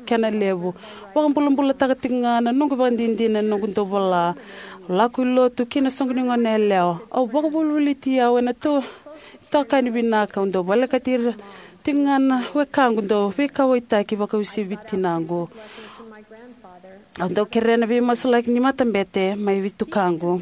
kena levu. Vakabulabulataka tiko ga na noqu ivakadinadina ena noqu dau vola. Au lako i lotu kei na soqo ni goneyalewa. Au vakavolivoliti au ena to-, itokani vinaka. Au dau volekati ira tiko ga na wekaqu dau veikauwaitaki vakauasivi tinaqu. Au dau kerea na veimasulaki ni matabete mai vei tukaqu.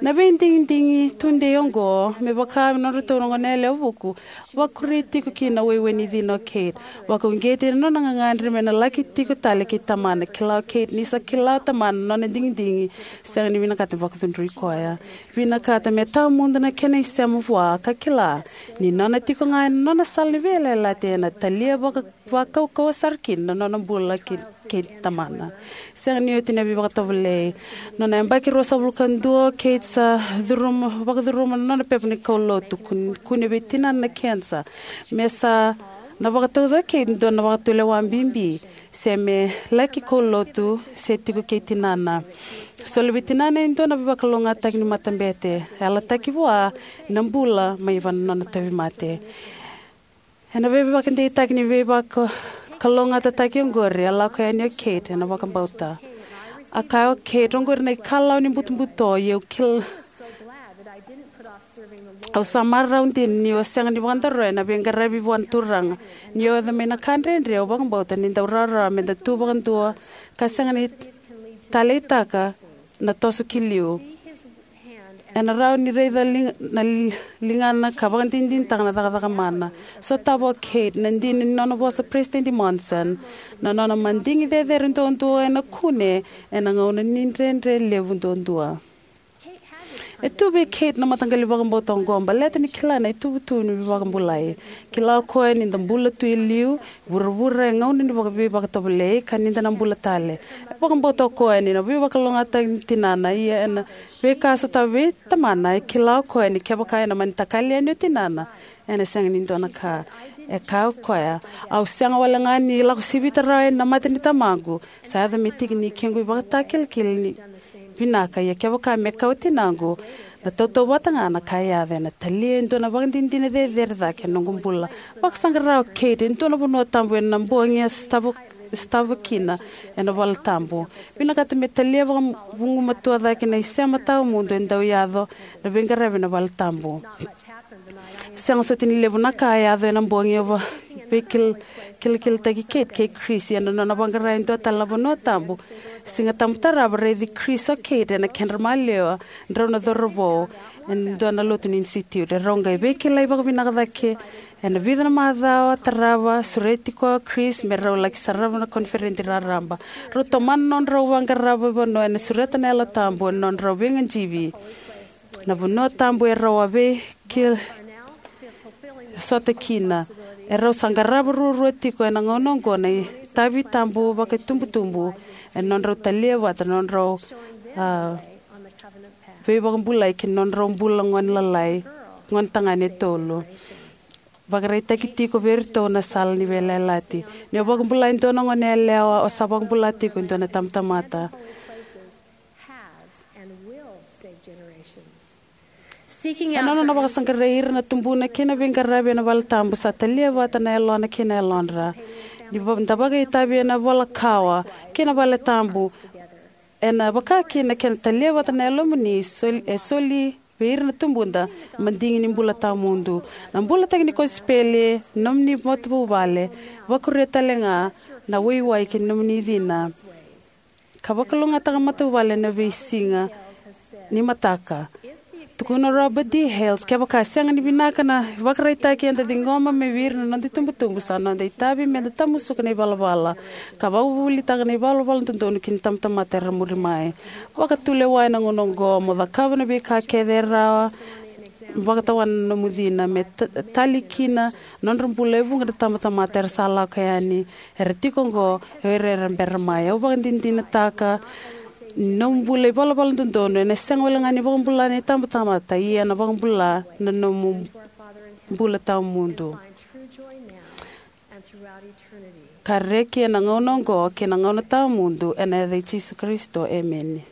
Na veidigidigi tudei oqo, me vaka me nodratou na goneyalewa vuku, vakuri tiko kina na waiwai ni cina o Kate. Vakauqeti ena nona gagadre me na laki tiko tale kei tamana. Kila o Kate ni sa kila o tamana na nona digidigi, sega ni vinakata me vakacudrui koya. Vinakata me tawamudu na kena isema vua ka kila ni nona tiko ga ena nona sala ni veiyalayalati ena talia vaka-, vakaukauwa sara kina na nona bula kei, kei tamana. Sega ni oti na veivakatovolei. Nona yabaki ruasagavulu ka dua, Kate sa curuma, vakacuruma na nona pepa ni kaulotu, kun-, kune vei tinana na kenisa. Me sa na vakatauca o Kate e dua na vakatulewa bibi, se me laki kaulotu se tiko kei tinana. Soli vei tinana e dua na veivakalougatataki ni matabete. Yalataki vua na bula mai vua na nona tauvimate. Ena veivakadeitaki ni veivakalougatataki oqori, a lako yani o Kate ena vakabauta. A kaya o Kate, oqori na ikalawa ni butobuto, ia au kil-, au sa marau dina niu a sega ni vakadaroya na veiqaravi vua na Turaga. Niu yaco mai na ka dredre, au vakabauta ni dau rawarawa me da tu vakadua ka sega ni taleitaka na toso ki liu. Ena rawa ni raica lig-, na li-, ligana ka vakadinadinataka na cakacaka mana. Sotava o Kate na dina ni nona vosa President Monson, na nona madigi cecere duadua ena kune ena gauna ni dredre levu duadua. E tu vei Kate na mataqali vakabauta oqo baleta ni kila na ituvatuva ni veivakabulai. Kila o koya ni da bula tu e liu vuravura e gauna ni vaka-, veivakatovolei ka ni da na bula tale. E vakabauta o koya ni na veivakalougatataki ni tinana, ia ena veika a sotava vei tamana, e kila o koya ni kevaka ena mani takali yani o tinana, ena sega ni dua na ka. E kaya o koya, au sega wale ga ni lako sivita rawa yani na mate ni tamaqu, sa yaco me tiki ni kequ ivakatakilakila ni vinaka, ia kevaka me kau tinaqu, na tautauvata ga na ka e yaco, ena talia e dua na vakadinadina cecere cake ena noqu bula. Vakasaqara o Kate e dua na vanua tabu ena bogi a sotava, sotava kina ena vale tabu. Vinakata me talia vakavugumatua cake na isema tawamudu e dau yaco na veiqaravi ena vale tabu. Sega soti ni levu na ka e yaco ena bogi au va-, Veikil-, kilakilataki Kate kei Chris ena nona vaqara e dua tale na vanua tabu. Siga Tabu tarava, raici Chris o Kate ena kedra maliwa drau na cauravou ena dua na lotu ni Institute. Erau qai veikilai vakavinaka cake ena vica na macawa tarava, sureti koya o Chris me rau laki sarava na koniferedi raraba. Rau tomana na nodrau vaqara veivanua ena sureta na Yalo Tabu ena nodrau veigajivi na vanua tabu erau a veikil-, sota kina. Erau sa qarava ruarua tiko ena gauna oqo na itavi tabu vakaitubutubu ena nodrau talia vata na nodrau, a, veivakabulai ki na nodrau bula gone lalai, gone tagane e tolu. Vakaraitaki tiko vei iratou na sala ni veiyalayalati. Ni o vakabula e dua na gone yalewa, o sa vakabula tiko e dua na tamata. Ena nona vakasaqarai ira na tubuna kei na veiqaravi ena vale tabu, sa talia vata na yalona kei na yalodra. Ni va-, da vakaitavi ena vola kawa kei na vale tabu, ena vaka kina kena talia vata na yalomuni, sol-, e soli vei ira na tubuda na madigi ni bula tawamudu. Na bulataki ni kosipeli, nomuni matavuvale, vakuria tale ga na waiwai ki nomuni cina. Ka vakalougatataka matavuvale ena veisiga ni mataka. Tukuna o Robert D. Hales, kevaka e sega ni vinaka na ivakaraitaki eda ciqoma mai vei ira na noda itubutubu, sa noda itavi meda tamusuka na ivalavala ka vakavuvulitaka na ivalavala dodonu ki na tamatamata era muri mai. Vakatulewa ena gauna oqo mo cakava na veika kece e rawa, vakatawana na nomu cina me ta-, tali kina na nodra bula e vuqa na tamatamata era sa lako yani, era tiko oqo, o ira era bera mai. Au vakadinadinataka ni nomu bula ivalavala dodonu ena sega wale ga ni vakabula na itabatamata, ia ena vakabula na nomu bula tawamudu. Ka reki ena gauna oqo kei na gauna tawamudu, ena yaca i Jisu Karisito, emeni.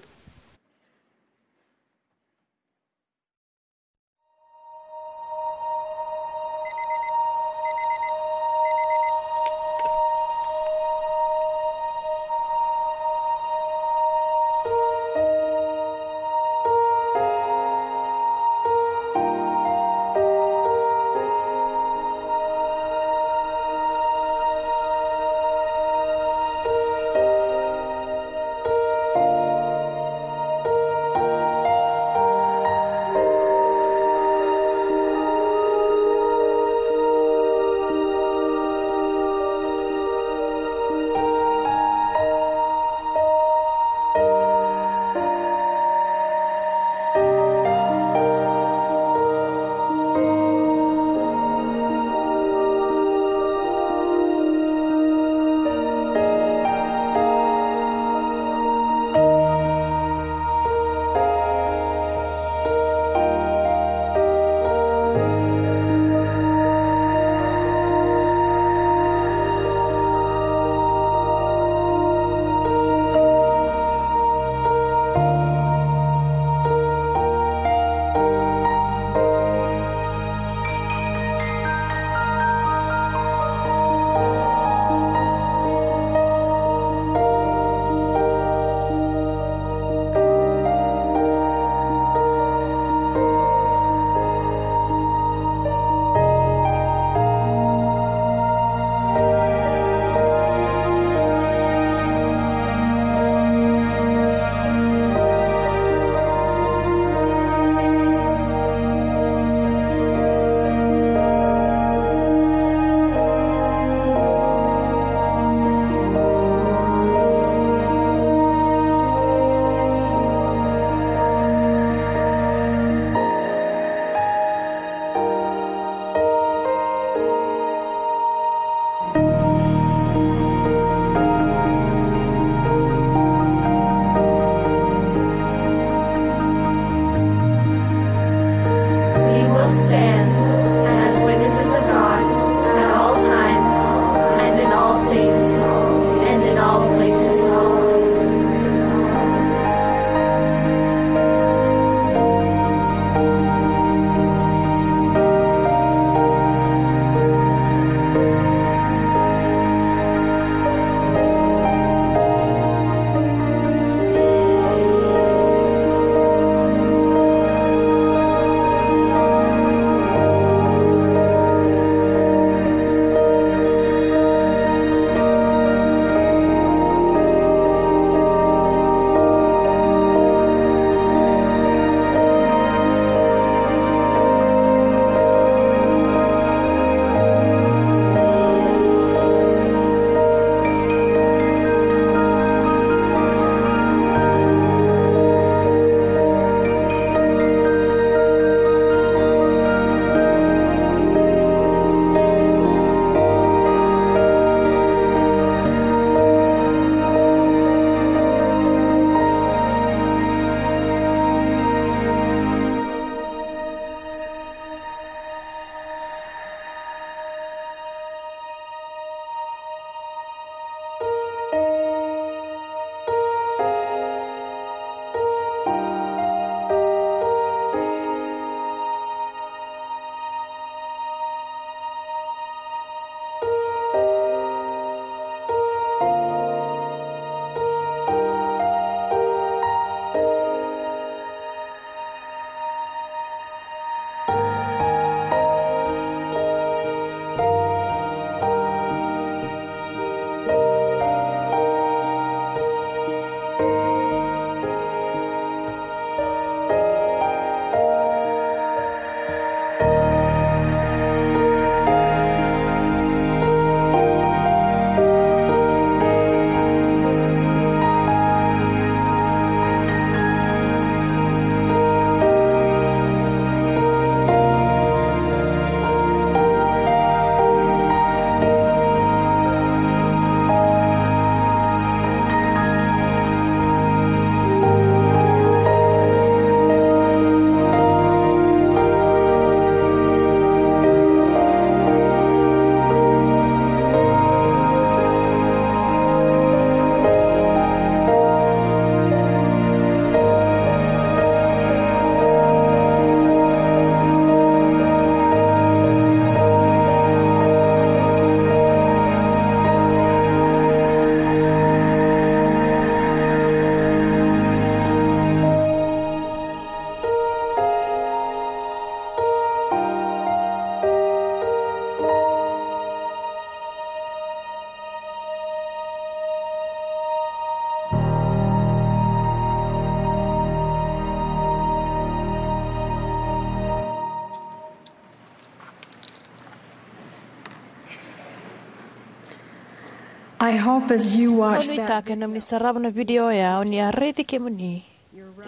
I hope as you watch that, nuitaka ena nomuni sarava na vidio oya, o ni a raici kemuni,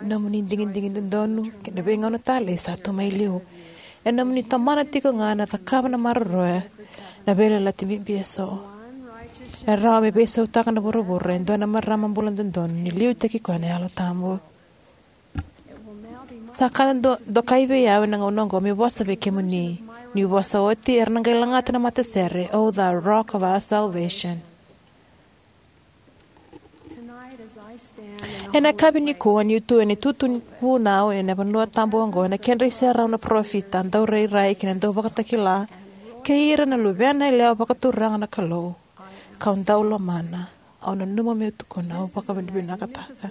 nomuni digidigi dodonu kei na veigauna talei sa tu mai liu. Ena nomuni tomana tiko ga na cakava na maroroya na veiyalayalati bibi eso. E rawa me veisautaka na vuravura e dua na marama bula dodonu ni liutaki koya na Yalo Tabu. Sa ka do, dokai vei au ena gauna oqo meu vosa vei kemuni. Niu vosa oti, era na qai lagata na matasere, "O thou Rock of our salvation." Ena yakavi nikua, niu tu ena itutu ni vunau ena vanua tabu oqo, ena kedra iserau na parofita, daurairai kei na dauvakatakila, kei ira na luvena yalewa vakaturaga na Kalou, kau dau lomana, au nanuma meu tukuna, au vakavinavinakataka.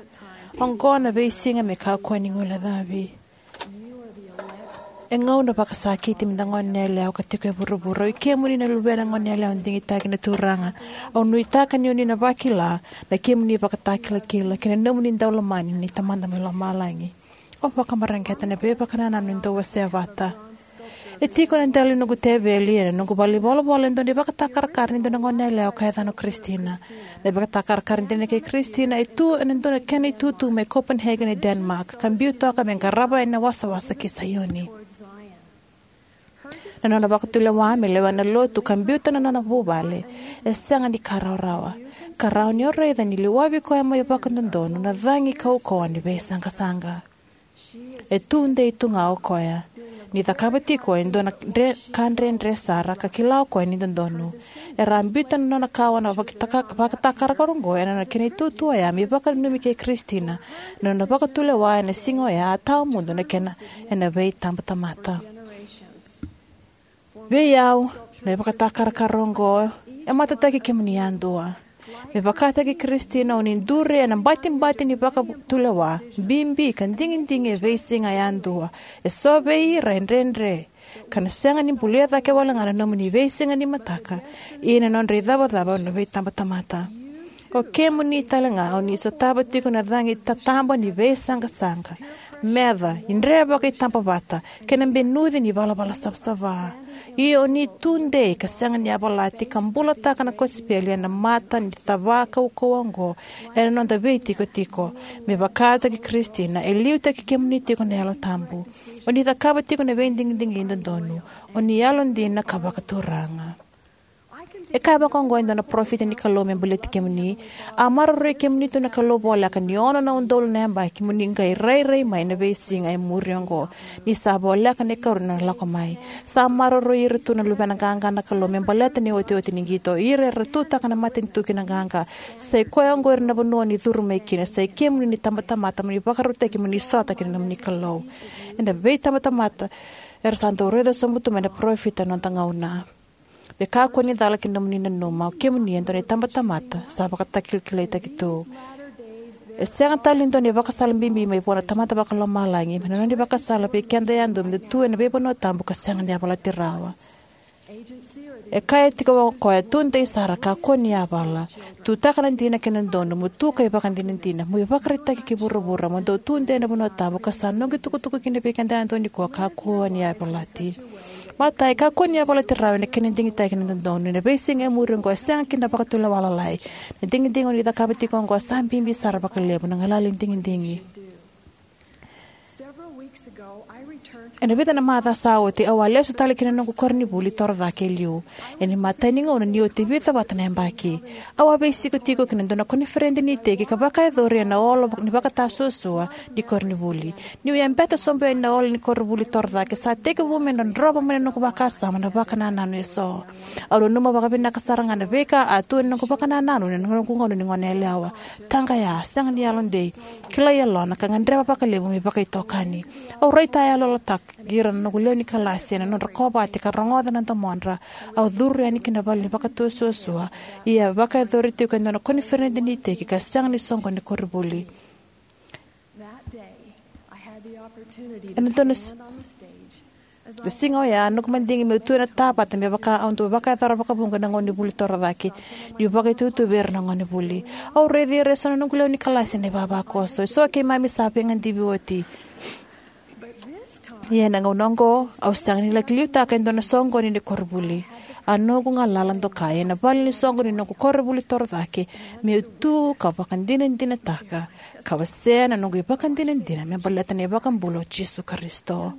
Oqo na veisiga me kakua ni guilecavi. E gauna vakasakiti me da gone yalewa ka tiko e vuravura. O i kemuni na luvena gone yalewa digitaki na Turaga. Au nuitaka ni o ni na vakila na kemuni ivakatakilakila kei na nomuni daulomani ni Tamada mai lomalagi. Au vakamareqeta na veivakanananu e dau wasea vata. E tiko ena dela ni noqu teveli ena noqu valenivolavola e dua na ivakatakarakara ni dua na gone yalewa ka yacana o Kristina. Na ivakatakarakara dina kei Kristina e tu ena dua na kena itutu mai Copenhagen e Denmark, ka biu toka me qarava yani na wasawasa ki Saioni. Na nona vakatulewa me lewena na lotu ka biuta na nona vuvale e sega ni ka rawarawa, ka rawa ni o raica ni liwavi koya mai vakadodonu na cagi kaukauwa ni veisaqasaqa. E tudei tu ga o koya ni cakava tiko e dua na dre, ka dredre sara, ka kila o koya ni dodonu. Era a biuta na nona kawa na vakataka, vakatakarakara oqo ena nona kena itutu oya me ivakananumi kei Kristina na nona vakatulewa ena siga oya, a tawamudu na kena ena veitabatamata. Vei au, na ivakatakarakara oqo e matataki kemuni yadua. Me vakataki Kristina, o ni duri ena batibati ni vakatulewa bibi ka digidigi e veisiga yadua. E so vei ira e dredre ka na sega ni bulia cake wale ga na nomuni veisiga ni mataka, ia na nodra icavacava na veitabatamata. O kemuni tale ga o ni sotava tiko na cagi tataba ni veisaqasaqa, meca, idre vakaitabavata, kei na benuci ni valavala savasava. Ia o ni tudei ka sega ni yavalati ka bulataka na kosipeli ena mata ni cava kaukauwa oqo ena noda veitikotiko. Me vakataki Kristina, e liutaki kemuni tiko na Yalo Tabu. O ni cakava tiko na veidigidigi dodonu. O ni yalodina ka vakaturaga. E kaya vaka oqo e dua na parofita ni Kalou me baleti kemuni: "A maroroi kemuni tu na Kalou voleka ni ono na udolu na yabaki mo ni qai rairai mai na veisiga e muri oqo, ni sa voleka na ikarua ni nona lako mai. Sa maroroi ira tu na luvena qaqa na Kalou me baleta na iotioti ni qito, ira era tutaka na matanitu ki na qaqa. Sa i koya oqo ira na vanua o ni curu mai kina. Sa i kemuni na itabatamata mo ni vakarautaki mo ni sota kei na nomuni Kalou." Ena veitabatamata era sa dau raica sobu tu mai na parofita ena noda gauna. Me kakua ni cala ki na nomuni nanuma, o kemuni e dua na itabatamata sa vakatakilakilaitaki tu. E sega tale ni dua na ivakasala bibi mai vua na Tamada Vakalomalagi me na nona ivakasala vei keda yadua me da tu ena veivanua tabu ka sega ni yavalati rawa. E kaya tiko o koya, "Tudei sara, kakua ni yavala. Tutaka na dina kei na dodonu, mo tu ka ivakadinadina, mo ivakaraitaki ki vuravura, mo dau tudei ena vanua tabu ka sa noqu itukutuku kina vei keda yadua nikua, kakua ni yavalati." Matai, kakua ni yavalati rawa ena kena digitaki na dodonu. Ena veisiga e muri oqo e sega kina na vakatulewa lalai. Na digidigi o ni cakava tiko oqo sa bibi sara vakalevu, na galala ni digidigi. Ena vica na macawa sa oti, au a lesu tale ki na noqu koronivuli torocake e liu. Ena imatai ni gauna ni oti vica vata na yabaki, au a veisikotiko ki na dua na koniferedi ni iteki ka vakayacori ena olo ni vakatasuasua ni koronivuli. Niu yabeta sobu yani na olo ni koronivuli torocake, sa tekivu me drodrova mai na noqu vakasama na vakanananu eso. Au nanuma vakavinaka sara ga na veika a tu ena noqu vakanananu ena noqu gauna ni gone yalewa. Taqaya, sega ni yalodei, kilai yalona, ka gadreva vakalevu me vakaitokani. Au raitayaloyalotaki ira na noqu lewe ni kalasi ena nodra kovate ka rogoca na domodra. Au curu yani ki na vale ni vakatasuasua, ia vakayacori tiko e dua na koniferedi ni iteki ka sega ni soqoni na koronivuli. Ena dua na s-, na siga oya, noqu madigi meu tu ena tavata me vaka au dau vakayacora vakavuqa ena gauna ni vuli torocake, niu vakaitutu vei ira na gonevuli. Au raici ira eso na noqu lewe ni kalasi ena ivavakoso. Eso keimami sa veigadivi oti. Ia ena gauna oqo, au sega ni laki liutaka e dua na soqoni ni koronivuli. A noqu galala dokai ena vale ni soqo ni noqu koronivuli torocake, meu tu ka vakadinadinataka ka wasea na noqu ivakadinadina me baleta na iVakabula o Jisu Karisito.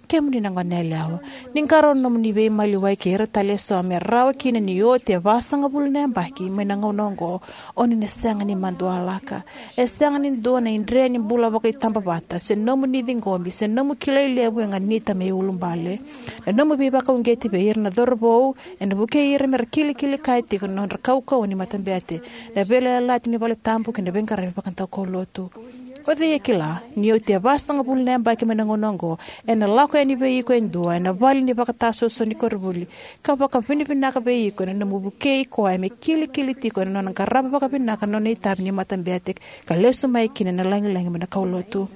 Kemuni na goneyalewa, ni qarauna na nomuni veimaliwai kei ira tale eso me rawa kina ni oti e vasagavulu na yabaki mai na gauna oqo, o ni na sega ni madualaka. E sega ni dua na idre ni bula vakaitabavata, se nomu ni ciqomi, se nomu kilai levu e ganita me iulubale. Na nomu veivakauqeti vei ira na cauravou ena vukei ira mera kilikili kaya tiko na nodra kaukauwa ni matabete, na veiyalayalati ni valetabu kei na veiqaravi vakadaukaulotu. O cei e kila, ni oti e vasagavulu na yabaki mai na gauna oqo, ena lako yani vei iko e dua ena vale ni vakatasoso ni koronivuli, ka vakavinavinaka vei iko ena nomu vukei koya me kilikili tiko ena nona qarava vakavinaka na nona itavi ni matabete, ka lesu mai kina ena lagilagi mai na kaulotu.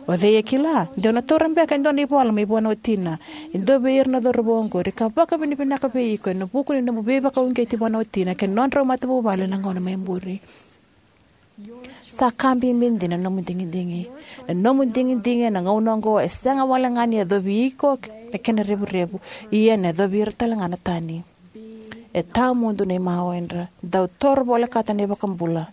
O cei e kila, de o na taura beka e dua na ivola mai vua na watina, e dua vei ira na cauravou oqori, ka vakavinavinaka vei iko ena vuku ni nomu veivakauqeti vua na watina kei na nodrau matavuvale ena gauna mai muri. Sa ka bibi dina na nomu digidigi. Na nomu digidigi ena gauna oqo e sega wale ga ni yacovi iko na kena revurevu, ia ena yacovi ira tale ga na tani. E tawamudu na imawe, dra dau toro volekata na iVakabula,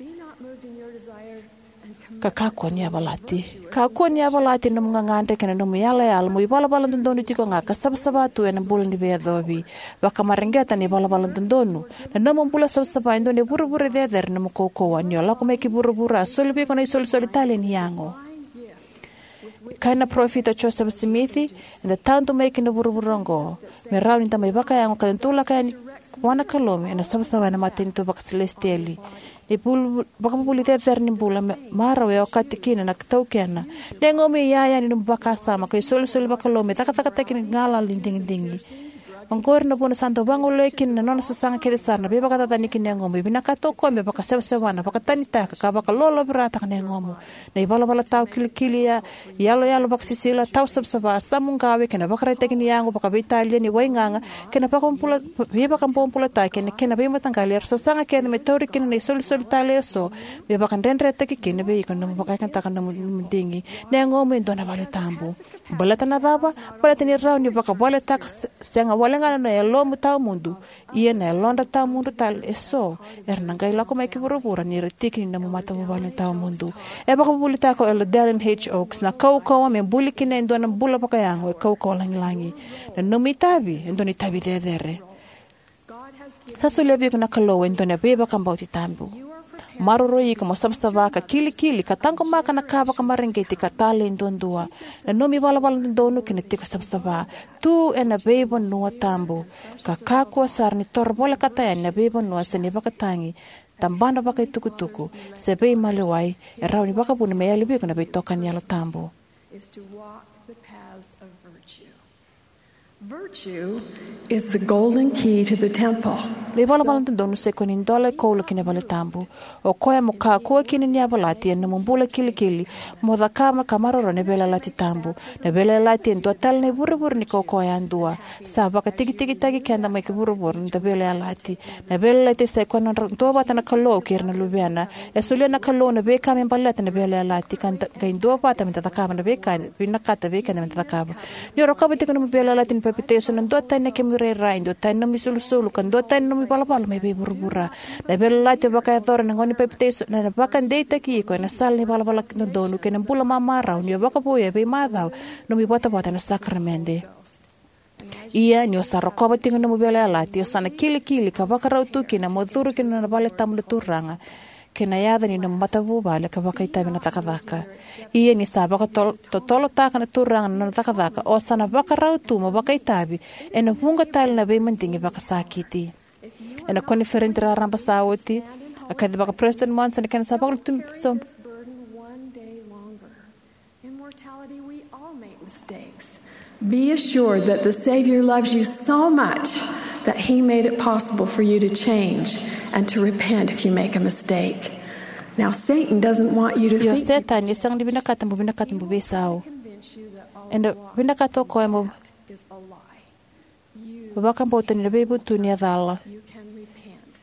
ka kakua ni yavalati. Kakua ni yavalati na nomu gagadre kei na nomu yalayala mo ivalavala dodonu tiko ga ka savasava tu ena bula ni veiyacovi. Vakamareqeta na ivalavala dodonu. Na nomu bula savasava e dua na ivurevure cecere ni nomu kaukauwa. Ni o lako mai ki vuravura, a soli vei iko na isolisoli talei ni yago. E kaya na parofita o Josefa Simici, eda tadu mai ki na vuravura oqo me rawa ni da mai vakayago ka da dau lako yani vua na Kalou ena savasava ena matanitu vakasilesitieli. Na ivul- vakavuvuli cecere ni bula me- marau e okati kina na taukena. Na yagomu e iyaya ni nomu vakasama ka isolisoli vakalou me cakacakataki na galala ni digidigi. Oqori na vuna sa dau vagolei kina na nona sasaga kece sara na veivakacacani ki na yagomu. E vinakata o koya me vakasewasewana, vakatanitaka, ka vakalolovirataka na yagomu. Na ivalavala tawa kilikili, ya, iyaloyalo vakasisila, tawa savasava, samuqawe, kei na vakaraitaki ni yago vakaveitalia ni waigaga, kei na vakabula- veivakabobulataki ena kena veimataqali era sasaga kece me tauri kina na isolisoli talei eso, me vakadredretaki kina vei iko na nomu vakayagataka na nomu, nomu digi. Na yagomu e dua na vale tabu. Baleta na cava? Baleta ni rawa ni vakavaletaka se- sega wale ga na yalomu tawamudu, ia na yalodra tawamudu tale eso era na qai lako mai ki vuravura ni ra tiki ni nomu matavuvale tawamudu. E vakavuvulitaka o Elder Dallin H. Oaks na kaukauwa me buli kina e dua na bula vakayago e kaukauwa lagilagi. Na nomu itavi e dua na itavi cecere. Sa solia vei iko na Kalou e dua na veivakabauti tabu. Maroroi iko mo savasava ka kilikili ka taqomaka na ka vakamareqeti ka talei duadua. Na nomu ivalavala dodonu kei na tiko savasava. Tu ena veivanua tabu. Ka kakua sara ni toro volekata yani na veivanua se na ivakatagi, tabana vakaitukutuku, se veimaliwai e rawa ni vakavuna me yali vei iko na veitokani Yalo Tabu. Is to walk the paths of virtue. Virtue is the golden key to the temple. Na ivalavala dodonu sa ikoya na idola e koula ki na vale tabu. O koya mo kakua kina ni yavalati ena nomu bula kilikili, mo cakava ka maroroya na veiyalayalati tabu. Na veiyalayalati e dua tale na ivurevure ni kaukauwa yadua. Sa vakatikitikitaki keda mai ki vuravura na noda veiyalayalati. Na veiyalayalati sa ikoya na nodra duavata na Kalou kei ira na luvena. E solia na Kalou na veika me baleta na veiyalayalati ka da qai duavata me da cakava na veika e vinakata vei keda me da cakava. Ni o rokova tiko na nomu veiyalayalati ni papitaiso, na duatani na kemu irairai, duatani na nomu isulusulu, ka duatani na nomu ivalavala mai vei vuravura. Na veiyalayalati o vakayacora ena gauna ni papitaiso ena vakadeitaki iko ena sala ni valavala dodonu kei na bula mamarau ni o vakavouya e veimacawa na nomu ivotavota ena sakaramede. Ia ni o sa rokova tiko na nomu veiyalayalati, o sa na kilikili ka vakarau tu kina mo curu ki na nona vale tabu na Turaga, kei na yaca ni nomu matavuvale ka vakaitavi ena cakacaka. Ia ni sa vakatotolotaka na Turaga na nona cakacaka, o sa na vakarau tu mo vakaitavi ena vuqa tale na veimadigi vakasakiti. Ena koniferedi raraba sa oti, a kacivaka President Monson na kena sa vakalutu so- In mortality, we all make mistakes. Be assured that the Savior loves you so much that He made it possible for you to change and to repent if you make a mistake. Now, Satan doesn't want you to Io, think Setani e sega ni vinakata mo vinakata mo veisau. Ena vinakata o koya mo is a lie. Vakabauta ni na veivutuni e cala. You can repent.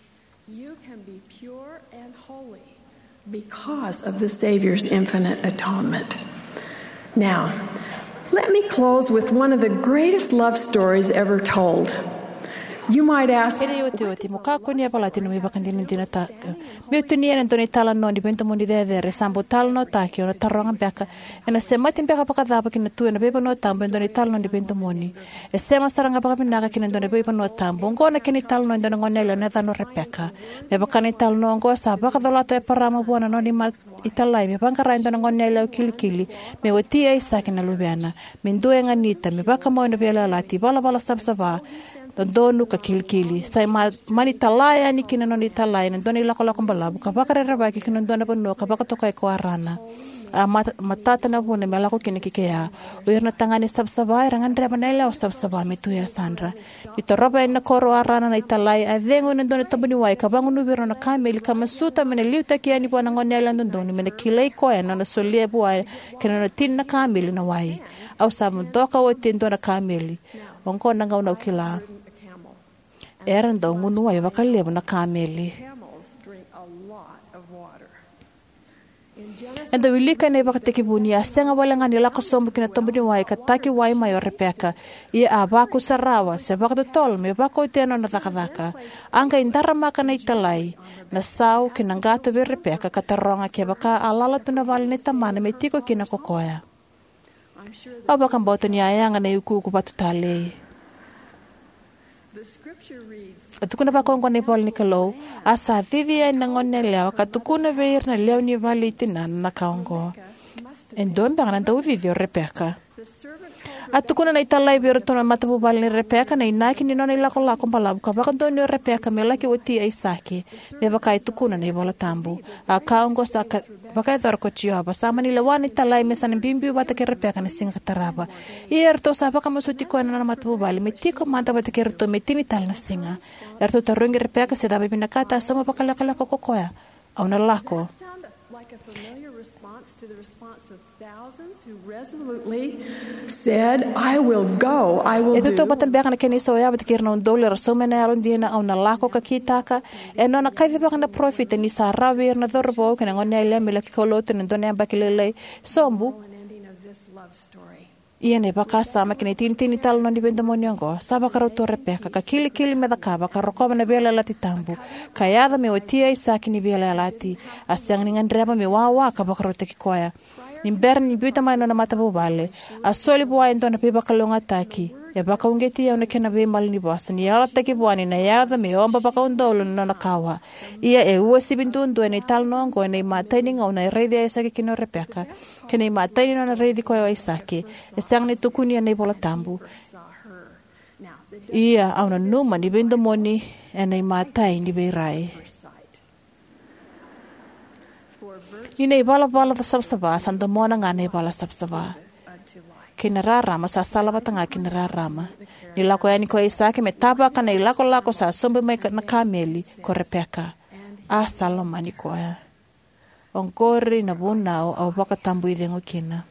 You can be pure and holy because of the Savior's infinite atonement. Now, let me close with one of the greatest love stories ever told. You might ask, ena iotioti, mo kakua ni yavalati na nomu ivakadinadinataka. Meu tinia ena dua na italanoa ni veidomoni cecere sa bau talanoataki, o na taroga beka, ena semati beka vakacava ki na tu ena veivanua tabu e dua na italanoa ni veidomoni? E sema sara ga vakavinaka ki na dua na veivanua tabu. Oqo na kena italanoa e dua na goneyalewa na yacana o Repeka. Me vaka na italanoa oqo, sa vakacolata o Eparama vua na nona ima italai me vaqara e dua na goneyalewa kilikili me wati Aisake na luvena, me dua e ganita, me vakamau ena veiyalayalati, ivalavala savasava, dodonu ka kilikili. Sa ma-, mani tala yani ki na nona italai ena dua na ilakolako balavu ka vakarerevaki ki na dua na vanua ka vakatokai ko Arana. A mat-, matata na vuna me lako kina ki kea. O ira na tagane savasava era gadreva na yalewa savasava me tu e yasadra. Ni torova yani na koro o Arana na italai, a cegu ena dua na tobu ni wai ka vagunuvi ira na nona kameli ka masuta me na liutaki yani vua na goneyalewa dodonu me na kilai koya na nona solia vua kei na nona tini na kameli na wai. Au sa vodoka oti e dua na kameli. Oqo na gauna au kila. Era dau gunu wai vakalevu na kameli. E dau wilika ena iVakatekivu ni a sega wale ga ni lako sobu ki na tobu ni wai ka taki wai mai o Repeka, ia a vakusarawa se vakatotolo me vakautia na nona cakacaka. A qai daramaka na italai na sau kei na qato vei Repeka ka taroga kevaka a lala tu na vale nei tamana me tiko kina ko koya. Au vakabauta ni a yaga na iukuuku vatu talei. A tukuna vaka oqo na ivola ni Kalou: A sa cici yani na goneyalewa ka tukuna vei ira na lewe ni vale i tinana na ka oqo. E dua beka na daucici o Repeka. A tukuna na italai vei iratou na matavuvale nei Repeka na inaki ni nona ilakolako balavu ka vakadonuya o Repeka me laki wati Aisake, me vaka e tukuna na iVola Tabu. A ka oqo sa ka-, vakayacora ko Jiova. Sa mani lewa na italai me sa na biubiu vata kei Repeka na siga ka tarava. Ia eratou sa vakamasuti koya na nona matavuvale me tiko mada vata kei iratou me tini tale na siga. Eratou tarogi Repeka se cava e vinakata, a sauma vakalekaleka ko koya: Au na lako. Sound like a familiar response to the response of thousands who resolutely said, "I will go, I will do." E tautauvata beka na kena isau ya vata kei ira na udolu era sauma ena yalodina, "Au na lako," ka kitaka? E nona kacivaka na parofita ni sa rawa vei ira na cauravou kei na goneyalewa me laki kaulotu ena dua na yabaki lailai sobu. Ia na ivakasama kei na itinitini tale ni veidomoni oqo, sa vakarau tu o Repeka ka kilikili me cakava ka rokova na veiyalayalati tabu, ka yaco me wati Aisake ni veiyalayalati. A sega ni gadreva me wawa ka vakarautaki koya. Ni bera ni biuta mai na nona matavuvale, a soli vua e dua na veivakalougatataki. E vakauqeti au na kena veimalanivosa ni yalataki vua ni na yaco me oba vakaudolu na nona kawa. Ia e uasivi duadua ena italanoa oqo ena imatai ni gauna e raici Aisake kina o Repeka kei na imatai ni nona raici koya o Aisake. E sega ni tukuni ena iVola Tabu. Ia au nanuma ni veidomoni ena imatai ni veirai. Ni na ivalavala savasava sa domona ga na ivala savasava, kei na rarama sa salavata ga kei na rarama. Ni lako yani ko Aisake me tavaka na ilakolako sa sobu mai ka-, na kameli, ko Repeka, a sa lomani koya. Oqori na vunau au vakatabui cegu kina.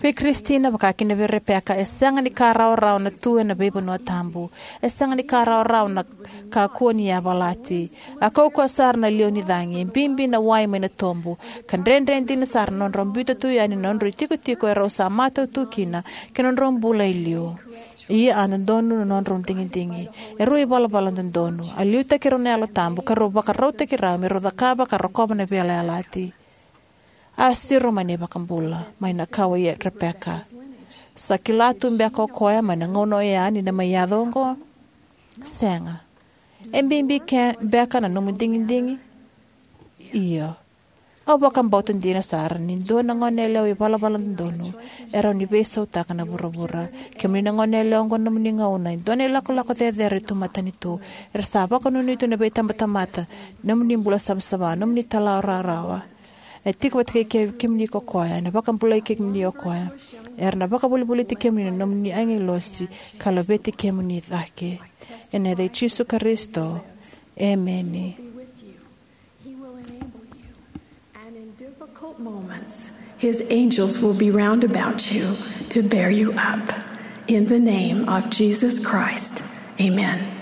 Vei Kristina, vaka kina vei Repeka, e sega ni ka rawarawa na tu ena veivanua tabu. E sega ni ka rawarawa na kakua ni yavalati. A kaukauwa sara na liwa ni cagi, e bibi na wai mai na tobu, ka dredre dina sara na nodrau biuta tu yani na nodrau itikotiko erau sa matau tu kina, kei na nodrau bula e liu. Ia a dodonu na nodrau digidigi. E rau ivalavala dodonu. A liutaki rau na Yalo Tabu, ka rau vakarautaki rau me rau cakava ka rokova na veiyalayalati. A siro mai na iVakabula mai na kawa i Repeka. Sa kila tu beka o koya mai na gauna oya ni na mai yaco oqo? Sega. E bibi ke beka na nomu digidigi? Io. Au vakabauta dina sara ni dua na goneyalewa ivalavala dodonu e rawa ni veisautaka na vuravura. Kemuni na goneyalewa oqo, nomuni gauna e dua na ilakolako cecere tu matanitu. Era sa vakanuinui tu na veitabatamata, nomuni bula savasava, nomuni tala rawarawa. E tiko vata kei ke-, kemuni ko koya, ena vakabulai kemuni o koya. Era na vakavolivoliti kemuni na nomuni agilosi ka laveti kemuni cake. Ena yaca i Jisu Karisito, emeni. He will enable you. And in difficult moments, his angels will be round about you to bear you up. In the name of Jesus Christ, amen.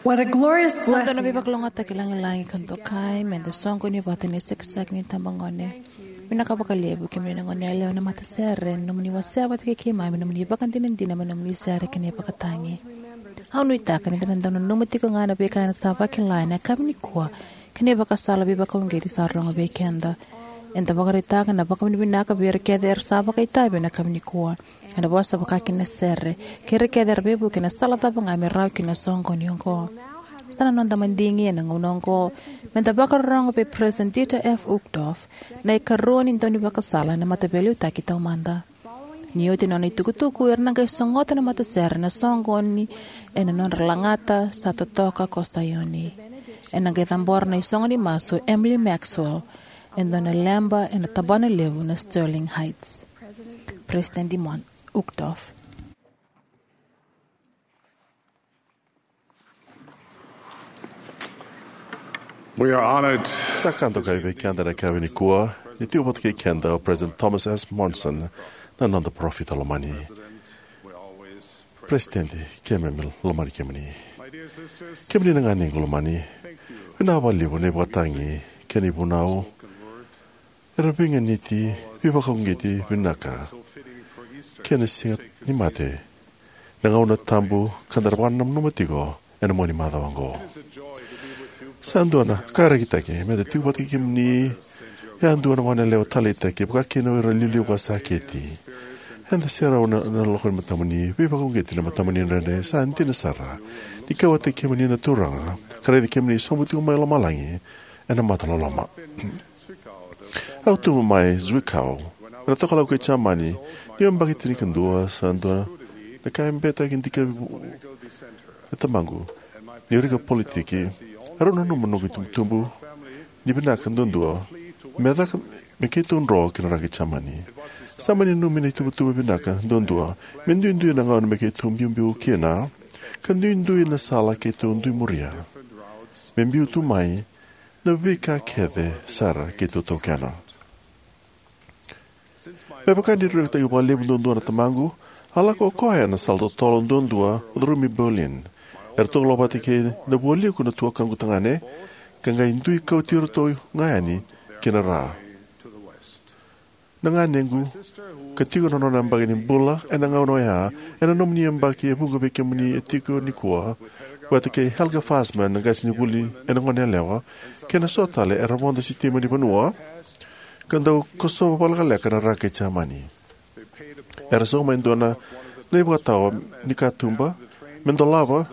What a glorious blessing. Sa dua na veivakalougatataki lagilagi ka dokai me da soqoni vata ena isekiseki ni tabagone. Vinaka vakalevu kemuni na gone yalewa na matasere, na nomuni wasea vata kei keimami, na nomuni vakadinadina, me nomuni sere kei na ivakatagi. Au nuitaka ni da na dau nanuma tiko ga na veika eda sa vakila ena yakavi nikua, kei na ivakasala veivakauqeti sa rogo vei keda. Eda vakaraitaka na vakavinavinaka vei ira kece era sa vakaitavi ena yakavi nikua ena vosa vaka kina na sere, kei ira kece era veivuke ena sala cava ga me rawa kina na soqoni oqo. Sa na noda madigi ena gauna oqo me da vakarorogo vei President Dieter F. Uchtdorf, na ikarua ni daunivakasala ena Mataveiliutaki Taumada. Ni oti na nona itukutuku, era na qai sogota na matasere na soqoni ena nodra lagata sa totoka ko Saioni. Ena qai cabora na isogo ni masu Emily Maxwell e dua na leba ena tabana levu na Sterling Heights. President Dimon Uchtdorf. We are honored. Sa ka dokai vei keda na yakavi nikua ni tiko vata kei keda o President Thomas S. Monson, na noda parofita lomani. President, keimami lomani kemuni. Kemuni na ganequ lomani, vinaka vakalevu na ivakatagi kei na ivunau era veiganiti, veivakauqeti vinaka kei na Siga ni Mate, na gauna tabu ka da na vakananuma tiko ena mua ni macawa oqo. Sa dua na ka rekitaki me da tiko vata kei kemuni yadua na gone yalewa taleitaki, vaka kina o ira na iliuliu vakasakiti. Eda serau ena, ena lako ni matamuni, veivakauqeti na matamuni dredre. Sa dina sara ni kauwaitaki kemuni na Turaga ka raici kemuni sobu tiko mai lomalagi ena mata loloma. Au tubu mai Zwickau, ena tokalau kei Jamani, niu yabaki tinikadua. Sa dua na ka e beta kei na dikevi vu-, e tamaqu ni rika politiki. Erau nanuma noqu itubutubu ni vinaka duadua me caka, me keitou dro ki na ra kei Jamani. Sa mani nanumi na ituvatuva vinaka duadua me duidui na gauna me keitou biubiu kina, ka duidui na sala keitou dui muria me biu tu mai na veika kece sara keitou taukena. Me vaka ni raica vakalevu duadua na tamaqu, a lako o koya ena sala totolo duadua, o curumi Berlin. Eratou lavati kei na vualiku na tuakaqu tagane, ka qai dui kauti iratou ga yani ki na ra. Na ganequ, ka tiko na nona yabaki ni bula ena gauna oya, ena nomuni yabaki e vuqa vei kemuni e tiko nikua, vata kei Helga Fassmann, na qasenivuli ena gone yalewa, kei na so tale era vodo sitima ni vanua ka dau kosova vakalekaleka na ra kei Jamani. Era sauma e dua na, na ivakatawa ni katuba me dolava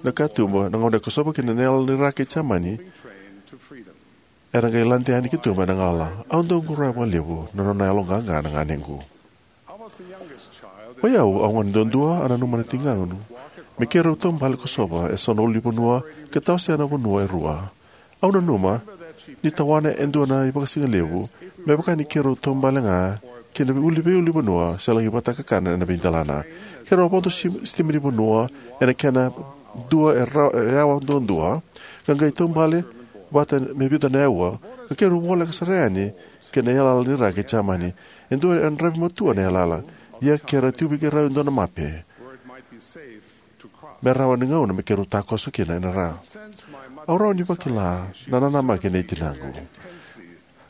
na katuba, na gauna e kosova kina na yala ni ra kei Jamani. Era qai lade yani ki tuba ena galala. Au dau qoroya vakalevu na nona yaloqaqa na ganequ. O yau, au gone duadua, a nanuma na tigaqu me keirau taubale kosova eso na ulunivanua ka tawasea na vanua e rua. Au nanuma ni tawana e dua na ivakasigalevu me vaka ni keirau taubale ga ki na veiuli, veiulunivanua se laki vakatakakana ena veidelana. Keirau vodo si-, sitima ni vanua ena kena dua e ra-, e awa duadua, ka qai taubale vata me vica na aua, ka keirau voleka sara yani ki na yalayala ni ra kei Jamani. E dua e yadravi matua na yalayala, ia keirau tiko vei keirau e dua na mape me rawa ni gauna me keirau takoso kina ena ra. Au rawa ni vakila na nanamaki nei tinaqu.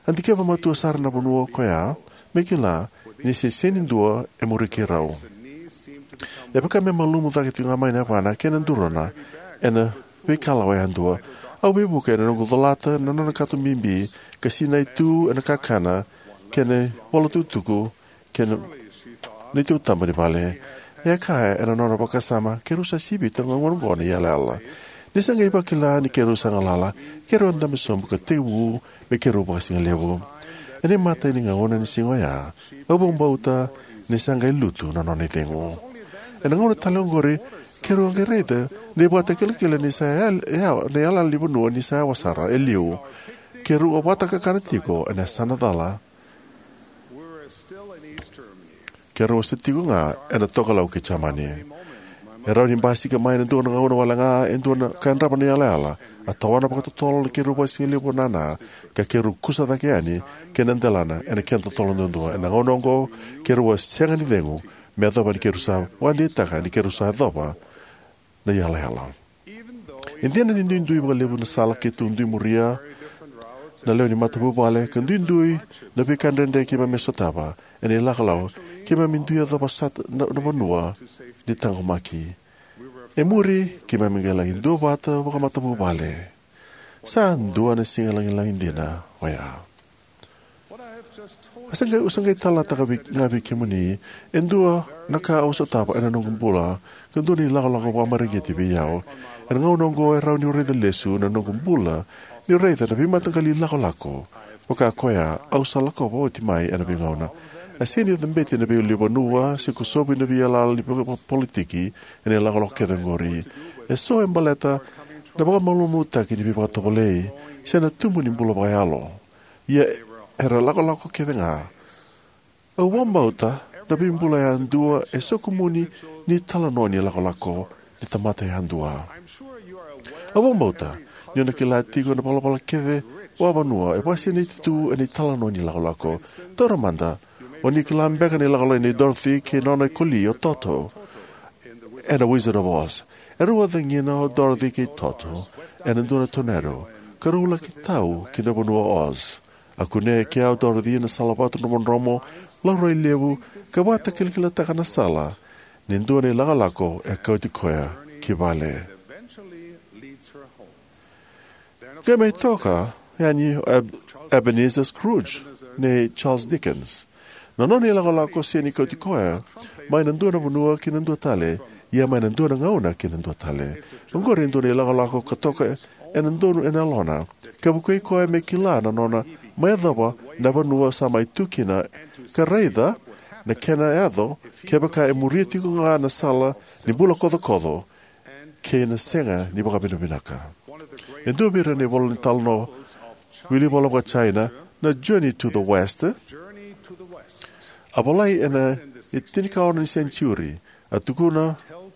A dikeva matua sara na vanua koya me kila ni se sega ni dua e muri keirau. E vaka me malumu cake tiko ga mai na yavana kei na duruna ena veikalawa yadua. Au veivuke ena noqu colata na nona kato bibi ka sinai tu ena kakana kei na ivolatukutuku kei na neitou taba ni vale. E a kaya ena nona vakasama, keirau sa sivita ga oqo na yalayala. Ni sa qai vakila ni keirau sa galala, keirau a dabe sobu ka tekivu me keirau vakasigalevu. Ena imatai ni gauna ni siga oya, au vakabauta ni sa qai lutu na nona icegu. Ena gauna tale oqori, keirau a qai raica na ivakatakilakila ni sa yal-, ya-, na yalayala ni vanua ni sa yawa sara e liu. Keirau a vakatakakana tiko ena yasana cala. Keirau sa tiko ga ena tokalau kei Jamani. E rawa ni basika mai ena dua na gauna wale ga e dua na ka yadrava na yalayala. A tawana vakatotolo na keirau vakasigalevu nana, ka keirau kusa cake yani ki na delana ena kena totolo duadua. Ena gauna oqo keirau a sega ni cegu, me yacova ni keirau sa vakadeitaka ni keirau sa yacova na yalayala. E dina ni duidui vakalevu na sala keitou dui muria, na lewe ni matavuvale, ka duidui na veika dredre keimami sotava ena ilakolako, keimami dui yacova sara na, na vanua ni taqomaki. E muri, keimami qai laki duavata vakamatavuvale. Sa dua na siga lagilagi dina oya. Au sa qai, au sa qai talanoataka vei, ga vei kemuni e dua na ka au sotava ena noqu bula, ka dua na ilakolako vakamareqeti vei au. Ena gauna oqo e rawa niu raica lesu na noqu bula niu raica na veimataqali ilakolako vaka koya au sa lakova oti mai ena veigauna. E sega ni cabeti na veiulunivanua se kosovi na veiyalayala ni vakapolitiki ena ilakolako kece oqori. Eso e baleta na vakamalumalumutaki ni veivakatovolei se na tubu ni bula vakayalo. Ia era lakolako kece ga. Au vakabauta na veibula yadua e soqoni ni talanoa ni lakolako ni tamata yadua. Au vakabauta ni o na kila tiko na ivalavala kece vakavanua e vakasinaiti tu ena italanoa ni lakolako. Taura mada, o ni kila beka na ilakolako nei Dorothy kei nona ikoli o Toto ena Wizard of Oz. Erau a cagina o Dorothy kei Toto ena dua na tornado, ka rau laki tau ki na vanua o Oz. A kunea e kea o Dorothy na salavatu dromodromo, laurai levu, ka vakatakilakilataka na sala ni dua na ilakolako e kauti koya ki vale. Qai mai toka yani o Eb-, Ebenezer Scrooge nei Charles Dickens. Na nona ilakolako sega ni kauti koya mai na dua na vanua ki na dua tale, ia mai na dua na gauna ki na dua tale. Oqori e dua na ilakolako ka toka ena donu ena yalona, ka vukei koya me kila na nona mai yacova na vanua sa mai tu kina, ka raica na kena yaco kevaka e muria tiko ga na sala ni bula kocokoco kei na sega ni vakavinavinaka. E dua vei ira na ivola ni talanoa wilivola vaka-China, na Journey to the West, a volai ena itinikaono ni senitiuri. A tukuna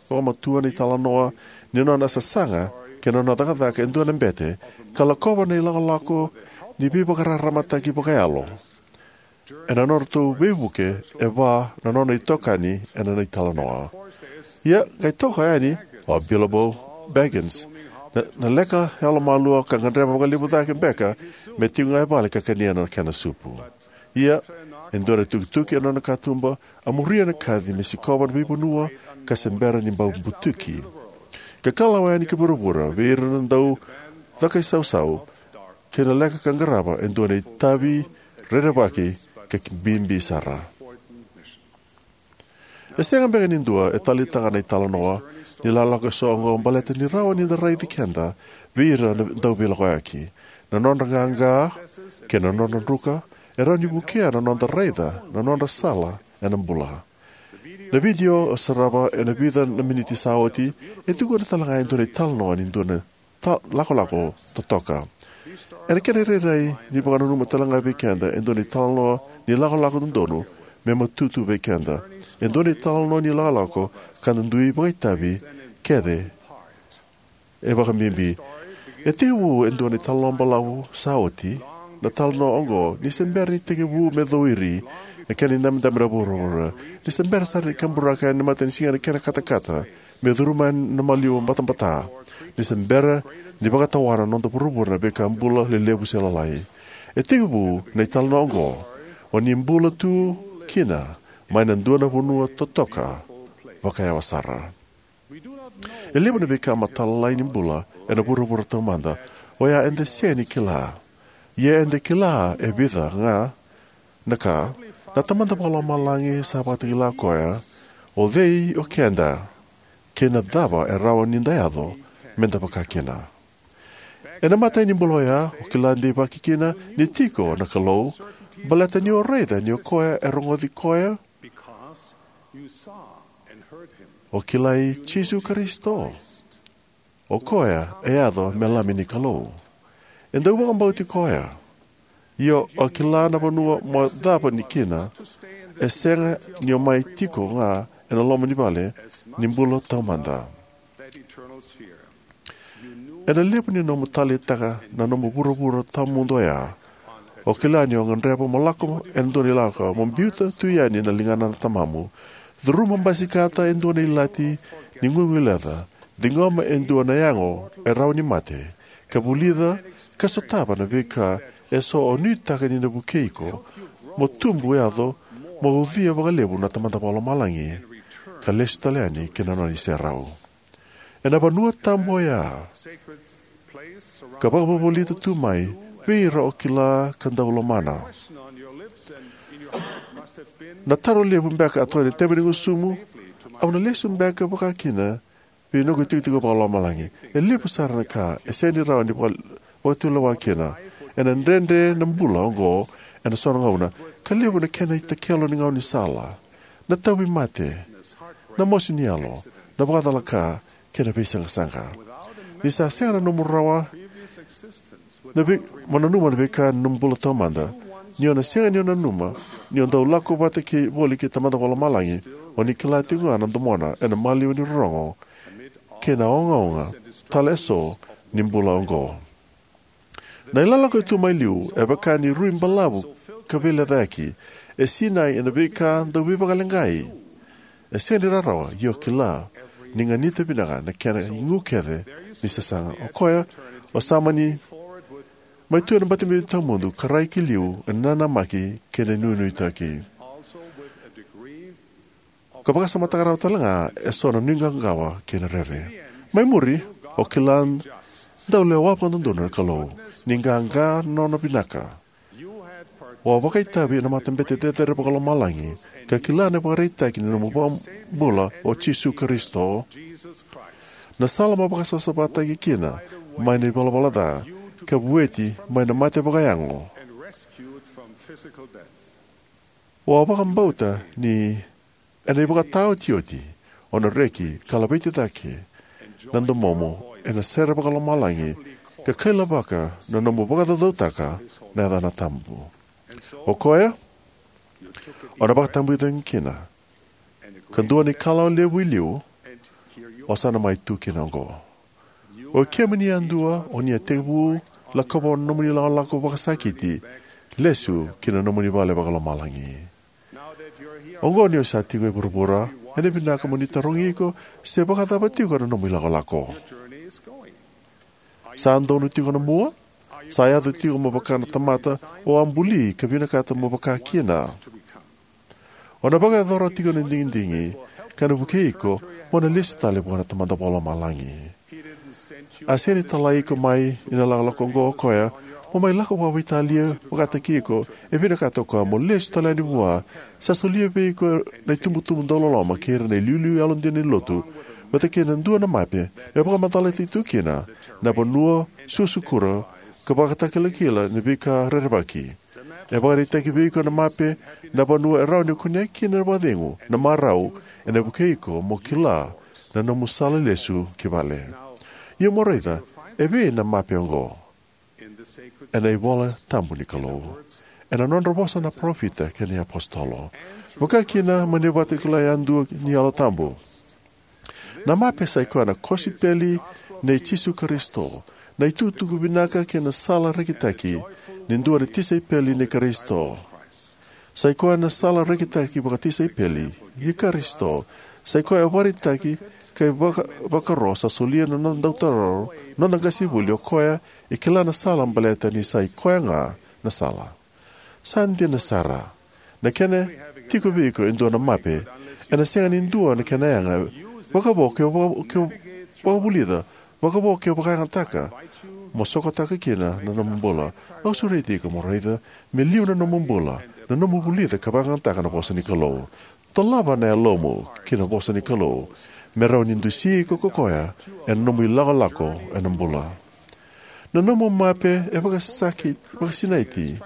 vakamatua na italanoa ni nona sasaga kei na nona cakacaka e dua na bete, ka lakova na ilakolako ni veivakararamataki vakayalo ena nodratou veivuke e va na nona itokani ena nona italanoa. Ia, qai toka yani o Bilbo Baggins, na, na leka yalomalua ka gadreva vakalevu cake beka me tiko ga e vale ka kania na kena supu. Ia, e dua na tukituki ena nona katuba, a muria na kaci me sikova na veivanua ka se bera ni bau butuki, ka kalawa yani ki vuravura vei ira na dau cakaisausau, kei na leka ka qarava e dua na itavi rerevaki ka ki bibi sara. E sega beka ni dua e taleitaka na italanoa ni lakolako eso oqo baleta ni rawa ni da raici keda vei ira na dauveilakoyaki. Na nodra qaqa kei na nodra druka e rawa ni vukea na noda raica na nodra sala ena bula. Na vidio e sarava ena vica na miniti sa oti e tukuna tale ga e dua na italanoa ni dua na ta-, lakolako totoka. Ena kena irairai ni vakananuma tale ga vei keda e dua na italanoa ni lakolako dodonu me matata vei keda. E dua na italanoa ni lakolako ka da dui vakaitavi kece e vakabibi. E tekivu e dua na italanoa balavu sa oti na talanoa oqo ni se bera ni tekivu me cowiri na kena idabedabe na vuravura, ni se bera sara ni kaburaka ena matanisiga na kena katakata me curuma na maliwa batabata, ni se bera ni vakatawana na noda vuravura na veika bula lelevu se lalai. E tekivu na italanoa oqo o ni bula tu kina mai na dua na vanua totoka vakayawa sara. E levu na veika matalalai ni bula ena vuravura taumada oya eda sega ni kila. Ia eda kila e vica ga na ka. Na Tamada Vakalomalagi sa vakatakila koya o cei o keda kei na cava e rawa ni da yaco me da vakakina. Ena imatai ni bula oya, o kila deivaki kina ni tiko na Kalou baleta ni o raica ni o koya e rogoci koya. O kilai Jisu Karisito. O koya e yaco me Lami ni Kalou. E dau vakabauti koya. Ia o kila na vanua mo cava ni kina, e sega ni o mai tiko ga ena loma ni vale ni bula taumada. Ena levu ni nomu taleitaka na nomu vuravura tawamudu oya, o kila ni o gadreva mo lako ena dua na ilaka mo biuta tu yani na ligana na tamamu. Curuma basikata e dua na ilati ni guiguileca Ciqoma e dua na yago e rawa ni mate, ka vulica ka sotava na veika eso o nuitaka ni na vukei iko mo tubu yaco, mo ucuya vakalevu na Tamada Vakalomalagi, ka lesu tale yani ki na nona iserau. Ena vanua tabu oya, ka vakavolivolita tu mai vei ira o kila ka dau lomana. Na taro levu beka a toka ena tebe ni gusumu: Au na lesu beka vakakina vei noqu itikotiko vakalomalagi? E levu sara na ka e sega ni rawa ni vaka-, vakatulewa kina. Ena dredre na bula oqo ena so na gauna, ka levu na kena itakelo ni gaunisala, na tauvimate, na mosi ni yalo, na vakacalaka, kei na veisaqasaqa. Ni sa sega na nomu rawa na vei, mo nanuma na veika ni nomu bula taumada, ni o na sega ni o nanuma ni o dau lako vata kei, voli kei Tamada Vakalomalagi, o ni kila tiko ga na domona ena maliwa ni rorogo kei na ogaoga tale eso ni bula oqo. Na ilakolako e tu mai liu e vaka ni rui balavu ka veilecayaki, e sinai ena veika dau veivakaleqai. E sega ni rawarawa, ia o kila ni ganita vinaka na kena igu kece ni sasaga. O koya, o sa mani mai tu ena bati bibi tawamudu ka rai ki liu ena nanamaki kei na nuinuitaki, ka vakasamataka rawa tale ga eso na nuiqawaqawa kei na rere. Mai muri, o kila dau lewa vakadodonu na Kalou, ni qaqa na nona vinaka. O a vakaitavi ena matabete cecere vakalomalagi, ka kila na ivakaraitaki ni nomu iVakabula o Jisu Karisito, na sala mo vakasavasavataki kina mai na ivalavala ca, ka vueti mai na mate vakayago. O a vakabauta ni ena ivakataotioti o na reki ka laveti cake na domomu ena sere vakalomalagi, ka kailavaka na nomu vakacaucautaka na yacana tabu. O koya, o na vakatabuyaci kina, ka dua na ikalawa levu i liu, o sa na mai tu kina oqo. O kemuni yadua, o ni a tekivu lakova na nomuni lakolako vakasakiti, lesu ki na nomuni vale vakalomalagi. Oqo ni o sa tiko e vuravura, ena vinaka mo ni tarogi iko se vakacava tiko na nomu ilakolako. Sa donu tiko na mua? Sa yaco tiko mo vaka na tamata o a buli ka vinakata mo vaka kina? O na vakayacora tiko na digidigi ka na vukei iko mo na lesu tale vua na Tamada Vakalomalagi. A sega ni talai iko mai ina lakolako oqo o koya mo mai lako vakaveitalia vakataki iko. E vinakata o koya mo lesu tale yani vua. Sa solia vei iko na itubutubu dauloloma kei ira na iliuliu yalodina ni lotu, vata kei na dua na mape me vakamacalataki tu kina na vanua, suasukura, ka vakatakilakila ni veika rerevaki. E vakaraitaki vei iko na mape na vanua e rawa ni kunea kina na vakacegu, na marau, ena vukei iko mo kila na nomu sala lesu ki vale. Ia mo raica, e vei na mape oqo? Ena iVola Tabu ni Kalou, ena nodra vosa na parofita kei na iapositolo, vaka kina mai na ivakatakila yadua ni Yalo Tabu. Na mape sai koya na kosipeli nei Jisu Karisito, na itukutuku vinaka kei na sala rekitaki ni dua na tisaipeli nei Karisito. Sai koya na sala rekitaki vakatisaipeli i Karisito. Sai koya e vakaraitaki ka ivaka-, vakaro sa solia na noda dautaro, noda qasenivuli, o koya e kila na sala baleta ni sai koya ga na sala. Sa dina sara, na kena tiko vei iko e dua na mape, ena sega ni dua na kena yaga, vakavo ke o vaka-, ke o vakavulica, vakavo ke o vakayagataka mo sokotaka kina na nomu bula. Au sureti iko mo raica me liu na nomu bula na nomu vulica ka vakayagataka na vosa ni Kalou. Dolava na yalomu ki na vosa ni Kalou me rawa ni dusi iko ko koya ena nomu ilakolako ena bula. Na nomu mape e vakasaki, vakasinaiti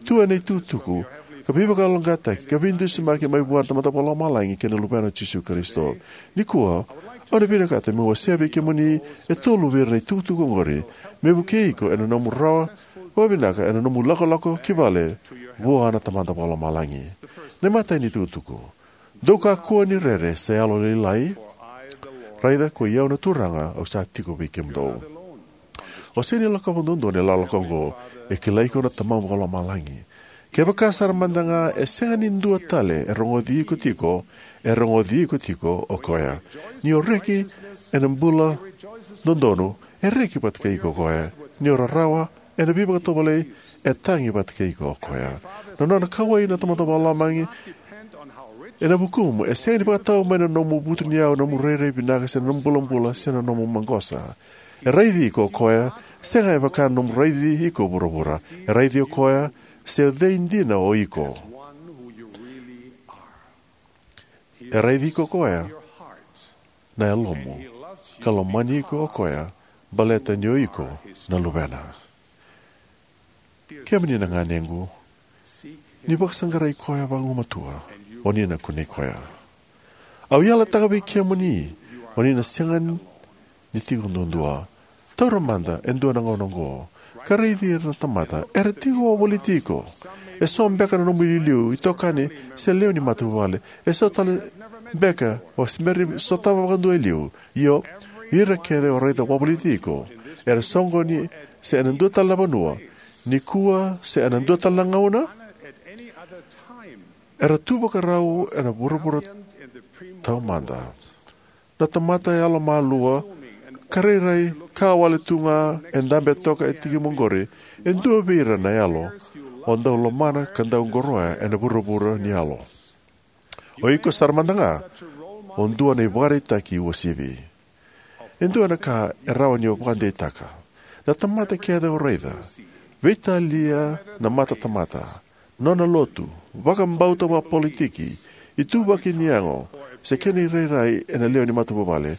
tu ena itukutuku ka veivakayaloqaqataki ka veidusimaki mai vua na Tamada Vakalomalagi kei na Luvena o Jisu Karisito. Nikua, au na vinakata meu wasea vei kemuni e tolu vei ira na itukutuku oqori me vukei iko ena nomu rawa vakavinaka ena nomu lakolako ki vale vua na Tamada Vakalomalagi. Na imatai ni itukutuku: Dou kakua ni rere se yalolailai, raica koi au na Turaga, au sa tiko vei kemudou. O sega ni lakova duadua na ilakolako oqo. E kilai iko na Tamamu Vakalomalagi. Kevaka sara mada ga e sega ni dua tale e rogoci iko tiko, e rogoci iko tiko o koya. Ni o reki ena bula dodonu, e reki vata kei iko o koya. Ni o rarawa ena veivakatovolei, e tagi vata kei iko o koya. Na nona kauwai na Tamada Vakalomalagi ena vukumu e sega ni vakatau mai na nomu vutuniyau, nomu rairai vinaka, se na nomu bulabula, se na nomu maqosa. E raici iko o koya, sega e vaka na nomu raici iko o vuravura. E raici o koya se o cei dina o iko. E raici iko o koya na yalomu, ka lomani iko o koya baleta ni o iko na luvena. Kemuni na ganequ, ni vakasaqarai koya vagumatua, o ni na kunei koya. Au yalataka vei kemuni, o ni na sega ni tiko duadua. Taura mada e dua na gauna oqo, ka raici ira na tamata era tiko wavoliti iko. E so beka na nomu iliuliu, itokani, se lewe ni matavuvale. E so tale beka o se bera ni sotava vakadua e liu. Io, ira kece o raica wavoliti iko, era soqoni se ena dua tale na vanua, nikua se ena dua tale na gauna, era tu vakarau ena vuravura taumada. Na tamata yalomalua, ka rairai ka wale tu ga e dabe toka e tikimu oqori, e dua vei ira na yalo o dau lomana ka dau qoroya ena vuravura ni yalo. O iko sara mada ga o dua na ivakaraitaki uasivi. E dua na ka e rawa ni o vakadeitaka. Na tamata kece o raica, veitalia na matatamata, nona lotu, vakabauta vakapolitiki, ituvaki ni yago, se kena irairai ena lewe ni matavuvale.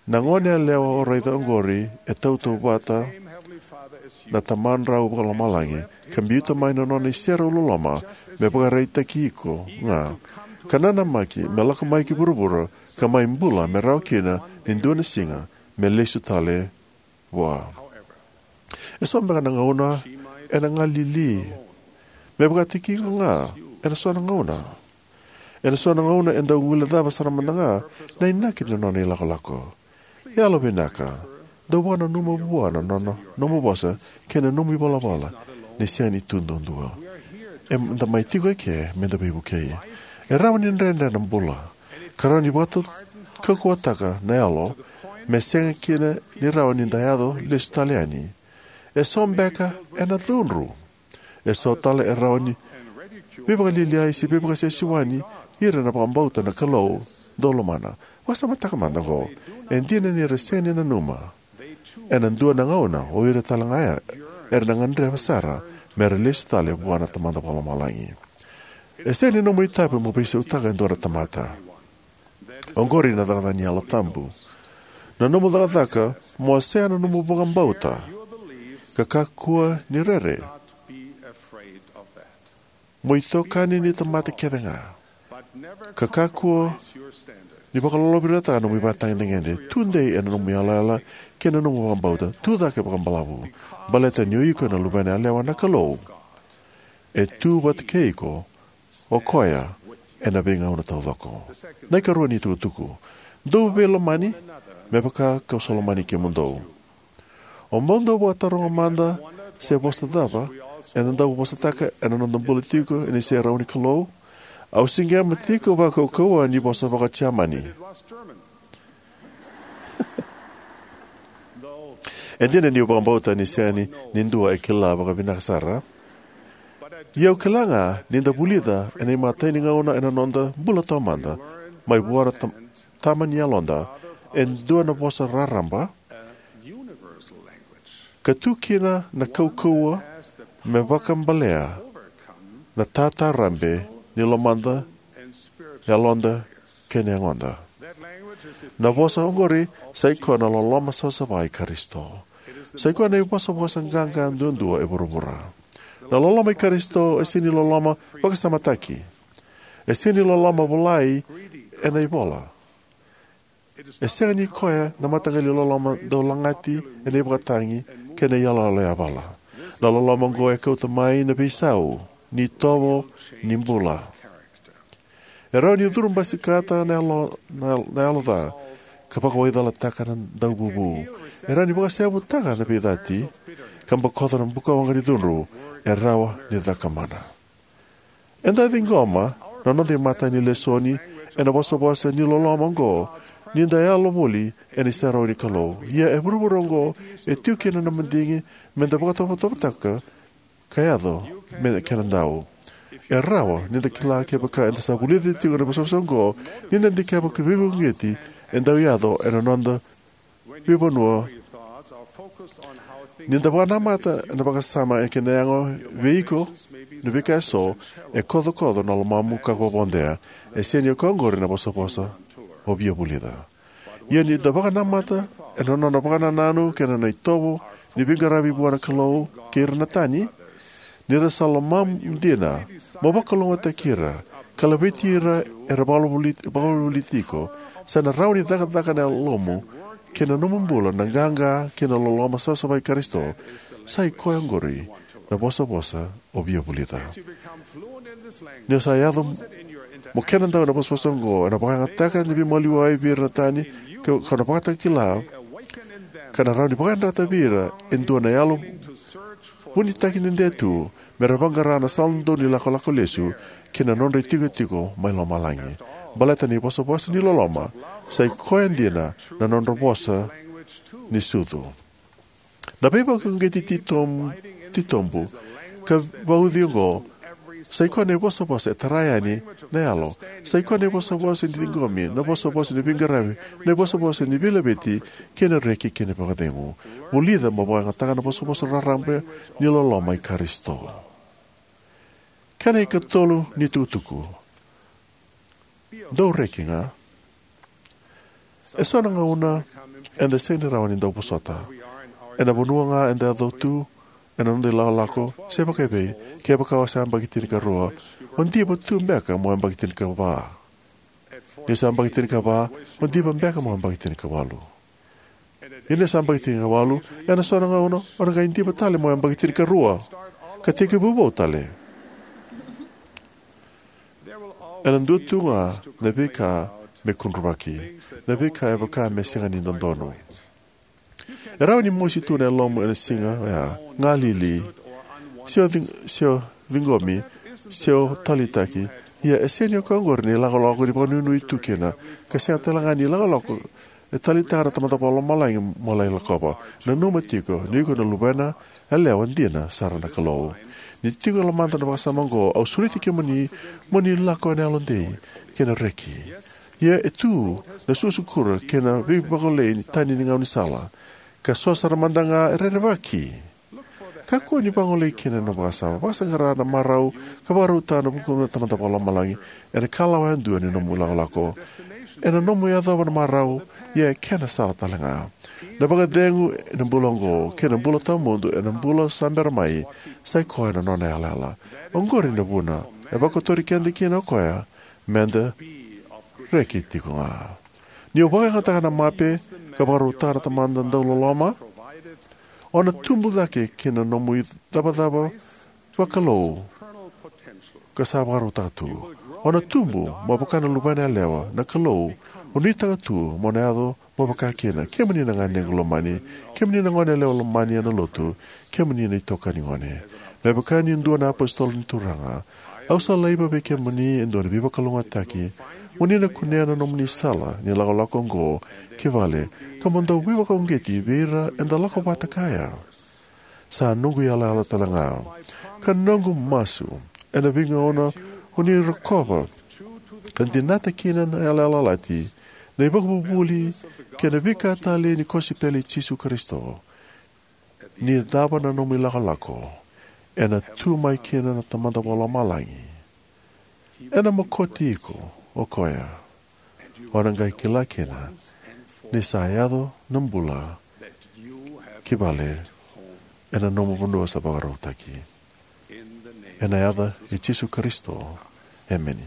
Na gone yalewa o raica oqori e tautauvata na Tamadrau Vakalomalagi, ka biuta mai na nona iserau loloma me vakaraitaki iko ga, ka nanamaki me lako mai ki vuravura, ka mai bula me rawa kina ni dua na siga me lesu tale vua. E so beka na gauna ena galili me vakataki iko ga ena so na gauna. Ena so na gauna e dau guilecava sara mada ga na inaki ni nona ilakolako. Yalovinaka, dau vakananuma vua na nona, nomu vosa kei na nomu ivalavala ni sega ni tu duadua. Eda mai tiko eke meda veivukei. E rawa ni dredre na bula, ka rawa ni vakakaukauwataka na yalo me sega kina ni rawa ni da yaco lesu tale yani. E so beka ena cudru. E so tale e rawa ni veivakalialiai se veivakasewasewani ira na vakabauta na Kalou dau lomana. Vakasamataka mada oqo, e dina ni ra sega ni nanuma, ena dua na gauna o ira tale ga era na gadreva sara me ra lesu tale vua na Tamada Vakalomalagi. E sega ni nomu itavi mo veisautaka e dua na tamata. Oqori na cakacaka ni Yalo Tabu. Na nomu cakacaka mo wasea na nomu vakabauta, ka kakua ni rere. Mo itokani ni tamata kece ga, ka kakua ni vakalolovirataka nomu ivakatagedegede. Tudei ena nomu yalayala kei na nomu vakabauta. Tucake vakabalavu, baleta ni o iko na luvena yalewa na Kalou. E tu vata kei iko o koya ena veigauna taucoko. Na ikarua ni tukutuku, dou veilomani me vaka kau sa lomani kemudou. O bau dau vakataroga mada se vosa cava eda dau vosataka ena noda bula tiko ena iserau ni Kalou. Au siqema tiko vakaukauwa ni vosa vaka-Jamani. E dina niu vakabauta ni sega ni dua e kila vakavinaka sara. Ia au kila ga ni da vulica ena imatai ni gauna ena noda bula taumada mai vua na ta- tama ni yaloda e dua na vosa raraba, ka tu kina na kaukauwa me vakabalea na tatarabe ni lomada, yaloda, kei na yagoda. Na vosa oqori sai koya na loloma savasava i Karisito. Sai koya na ivosavosa qaqa duadua e vuravura. Na loloma i Karisito e sega ni loloma vakasamataki. E sega ni loloma volai ena ivola. E sega ni koya na mataqali loloma dau lagati ena ivakatagi kei na iyaloyalo yavala. Na loloma oqo e kauta mai na veisau ni itovo ni bula. E rawa ni curu basikata na yalo, na, na yalo ca, ka vakawaicalataka na dauvuvu. E rawa ni vakaseyavutaka na veicati, ka bokoca na bukawaqa ni cudru. e rawa ni cakamana. Eda ciqoma na noda imatai ni lesoni ena vosavosa ni loloma oqo ni da yalo voli ena iserau ni Kalou. Ia e vuravura oqo e tiko kina na madigi me da vakatovotovotaka ka yaco me kena dau. E rawa ni da kila kevaka eda sa vulica tiko na vosavosa oqo, ni da dikeva ka veivakauqeti e dau yaco ena noda veivanua. Ni da vakanamata na vakasama e kena yaga vei iko na veika eso, e kocokoco na lomamu ka ko vodea. E sega ni o koya oqori na vosavosa o via vulica. Ia ni da vakanamata ena nona vakanananu kei na nona itovo ni veiqaravi vua na Kalou kei ira na tani, ni ra sa lomamu dina mo vakalougatataki ira ka laveti ira era vakavoliti, vakavoliti iko, sa na rawa ni cakacaka na yalomu kei na nomu bula na qaqa kei na loloma savasava i Karisito. Sa i koya oqori na vosavosa o via vulica. Ni o sa yaco mo kena dau na vosavosa oqo, ena vakayagataka na veimaliwai vei ira na tani, ka, ka na vakatakila, ka na rawa ni vakayadrata vei ira e dua na yalo vunitaki dede tu, me ra vaqara na sala dodonu ni lakolako lesu ki na nodra itikotiko mai lomalagi. Baleta ni vosavosa ni loloma sa i koya dina na nodra vosa ni sucu. Na veivakauqeti titom-, titobu ka vauci oqo sa i koya na ivosavosa e tara yani na yalo. Sa i koya na ivosavosa ni ciqomi, na vosavosa ni veiqaravi, na ivosavosa ni veilaveti kei na reki kei na vakacegu. Vulica mo vakayagataka na vosavosa raraba ni loloma i Karisito. Kena ikatolu ni tukutuku. Dou reki ga. E so na gauna eda sega ni rawa ni dau vosota. Ena vanua ga eda yaco tu, ena noda ilakolako, se vakaevei, kevaka o sa yabaki tinikarua, o diva tu beka mo yabaki tinikava. Ni o sa yabaki tinikava, o diva beka mo yabaki tinikawalu. Ia ni o sa yabaki tinikawalu, ena so na gauna, o na qai diva tale mo yabaki tinikarua. Ka tekivu vou tale. Ena dua tu ga na veika me kudruvaki, na veika e vaka me sega ni dodonu. E rawa ni mosi tu na yalomu ena siga oya, galili, se o cig-, se o ciqomi, se o taleitaki. Ia e sega ni o koya oqori na ilakolako ni vakanuinui tu kina, ka sega tale ga ni ilakolako e taleitaka na Tamada Vakalomalagi mo lai lakova. Nanuma tiko ni iko na luvena yalewa dina sara na Kalou. Ni tiko e lomada na vakasama oqo, au sureti kemuni mo ni lako ena yalodei kei na reki. Ia e tu na sukusukura kei na veivagolei ni tani ni gaunisala, ka so sara mada ga e rerevaki. Kakua ni vagolei kina na vakasama. Vakasaqara na marau ka vakarautaka na vukuqu na Tamada Vakalomalagi ena ikalawa yadua ni nomu ilakolako. Ena nomu yacova na marau, ia e kena sala tale ga. Na vakacegu ena bula oqo kei na bula tawamudu ena bula sa bera mai, sa i koya na nona yalayala. Oqori na vuna e vakotori keda kina o koya meda reki tiko ga. Ni o vakayagataka na mape ka vakarautaka na Tamada dauloloma, o na tubu cake ki na nomu icavacava vakalou ka sa vakarautaka tu. O na tubu mo vaka na luvena yalewa na Kalou o nuitaka tu mo na yaco mo vaka kina. Kemuni na ganequ lomani, kemuni na gone yalewa lomani ena lotu, kemuni na itokani gone. Me vaka ni dua na apositolo ni Turaga, au sa laiva vei kemuni e dua na veivakalougatataki mo ni na kunea na nomuni sala ni lakolako oqo ki vale, ka mo dau veivakauqeti vei ira eda lako vata kaya. Sa noqu yalayala tale ga. Ka noqu masu, ena veigauna o ni rokova ka dinata kina na yalayala lati, na ivakavuvuli kei na veika talei ni kosipeli i Jisu Karisito, ni cava na nomu ilakolako, ena tu mai kina na Tamada Vakalomalagi. Ena mokoti iko o koya, o na qai kila kina ni sa yaco na bula ki vale ena nomu vanua sa vakarautaki. Ena yaca i Jisu Karisito, emeni.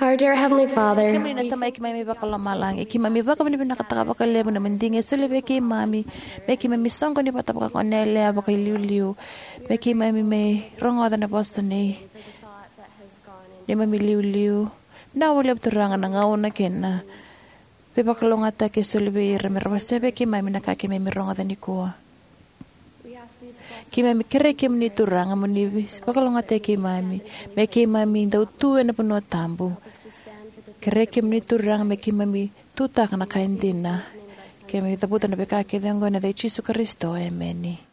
Our dear Heavenly Father, kemuni na Tamai keimami vakalomalagi, keimami vakavinavinakataka vakalevu na madigi e soli vei keimami me keimami soqoni vata vakakonelea vakailiuliu, me keimami mai rogoca na vosa nei neimami iliuliu. Vinaka vakalevu Turaga na gauna kei na veivakalougatataki e soli vei ira me ra wasea vei keimami na ka keimami rogoca nikua. Keimami kerei kemuni Turaga mo ni vakalougatataki keimami me keimami dau tu ena vanua tabu. Kerei kemuni Turaga me keimami tutaka na ka e dina. Keimami cavuta na veika kece oqo ena yaca i Jisu Karisito, emeni.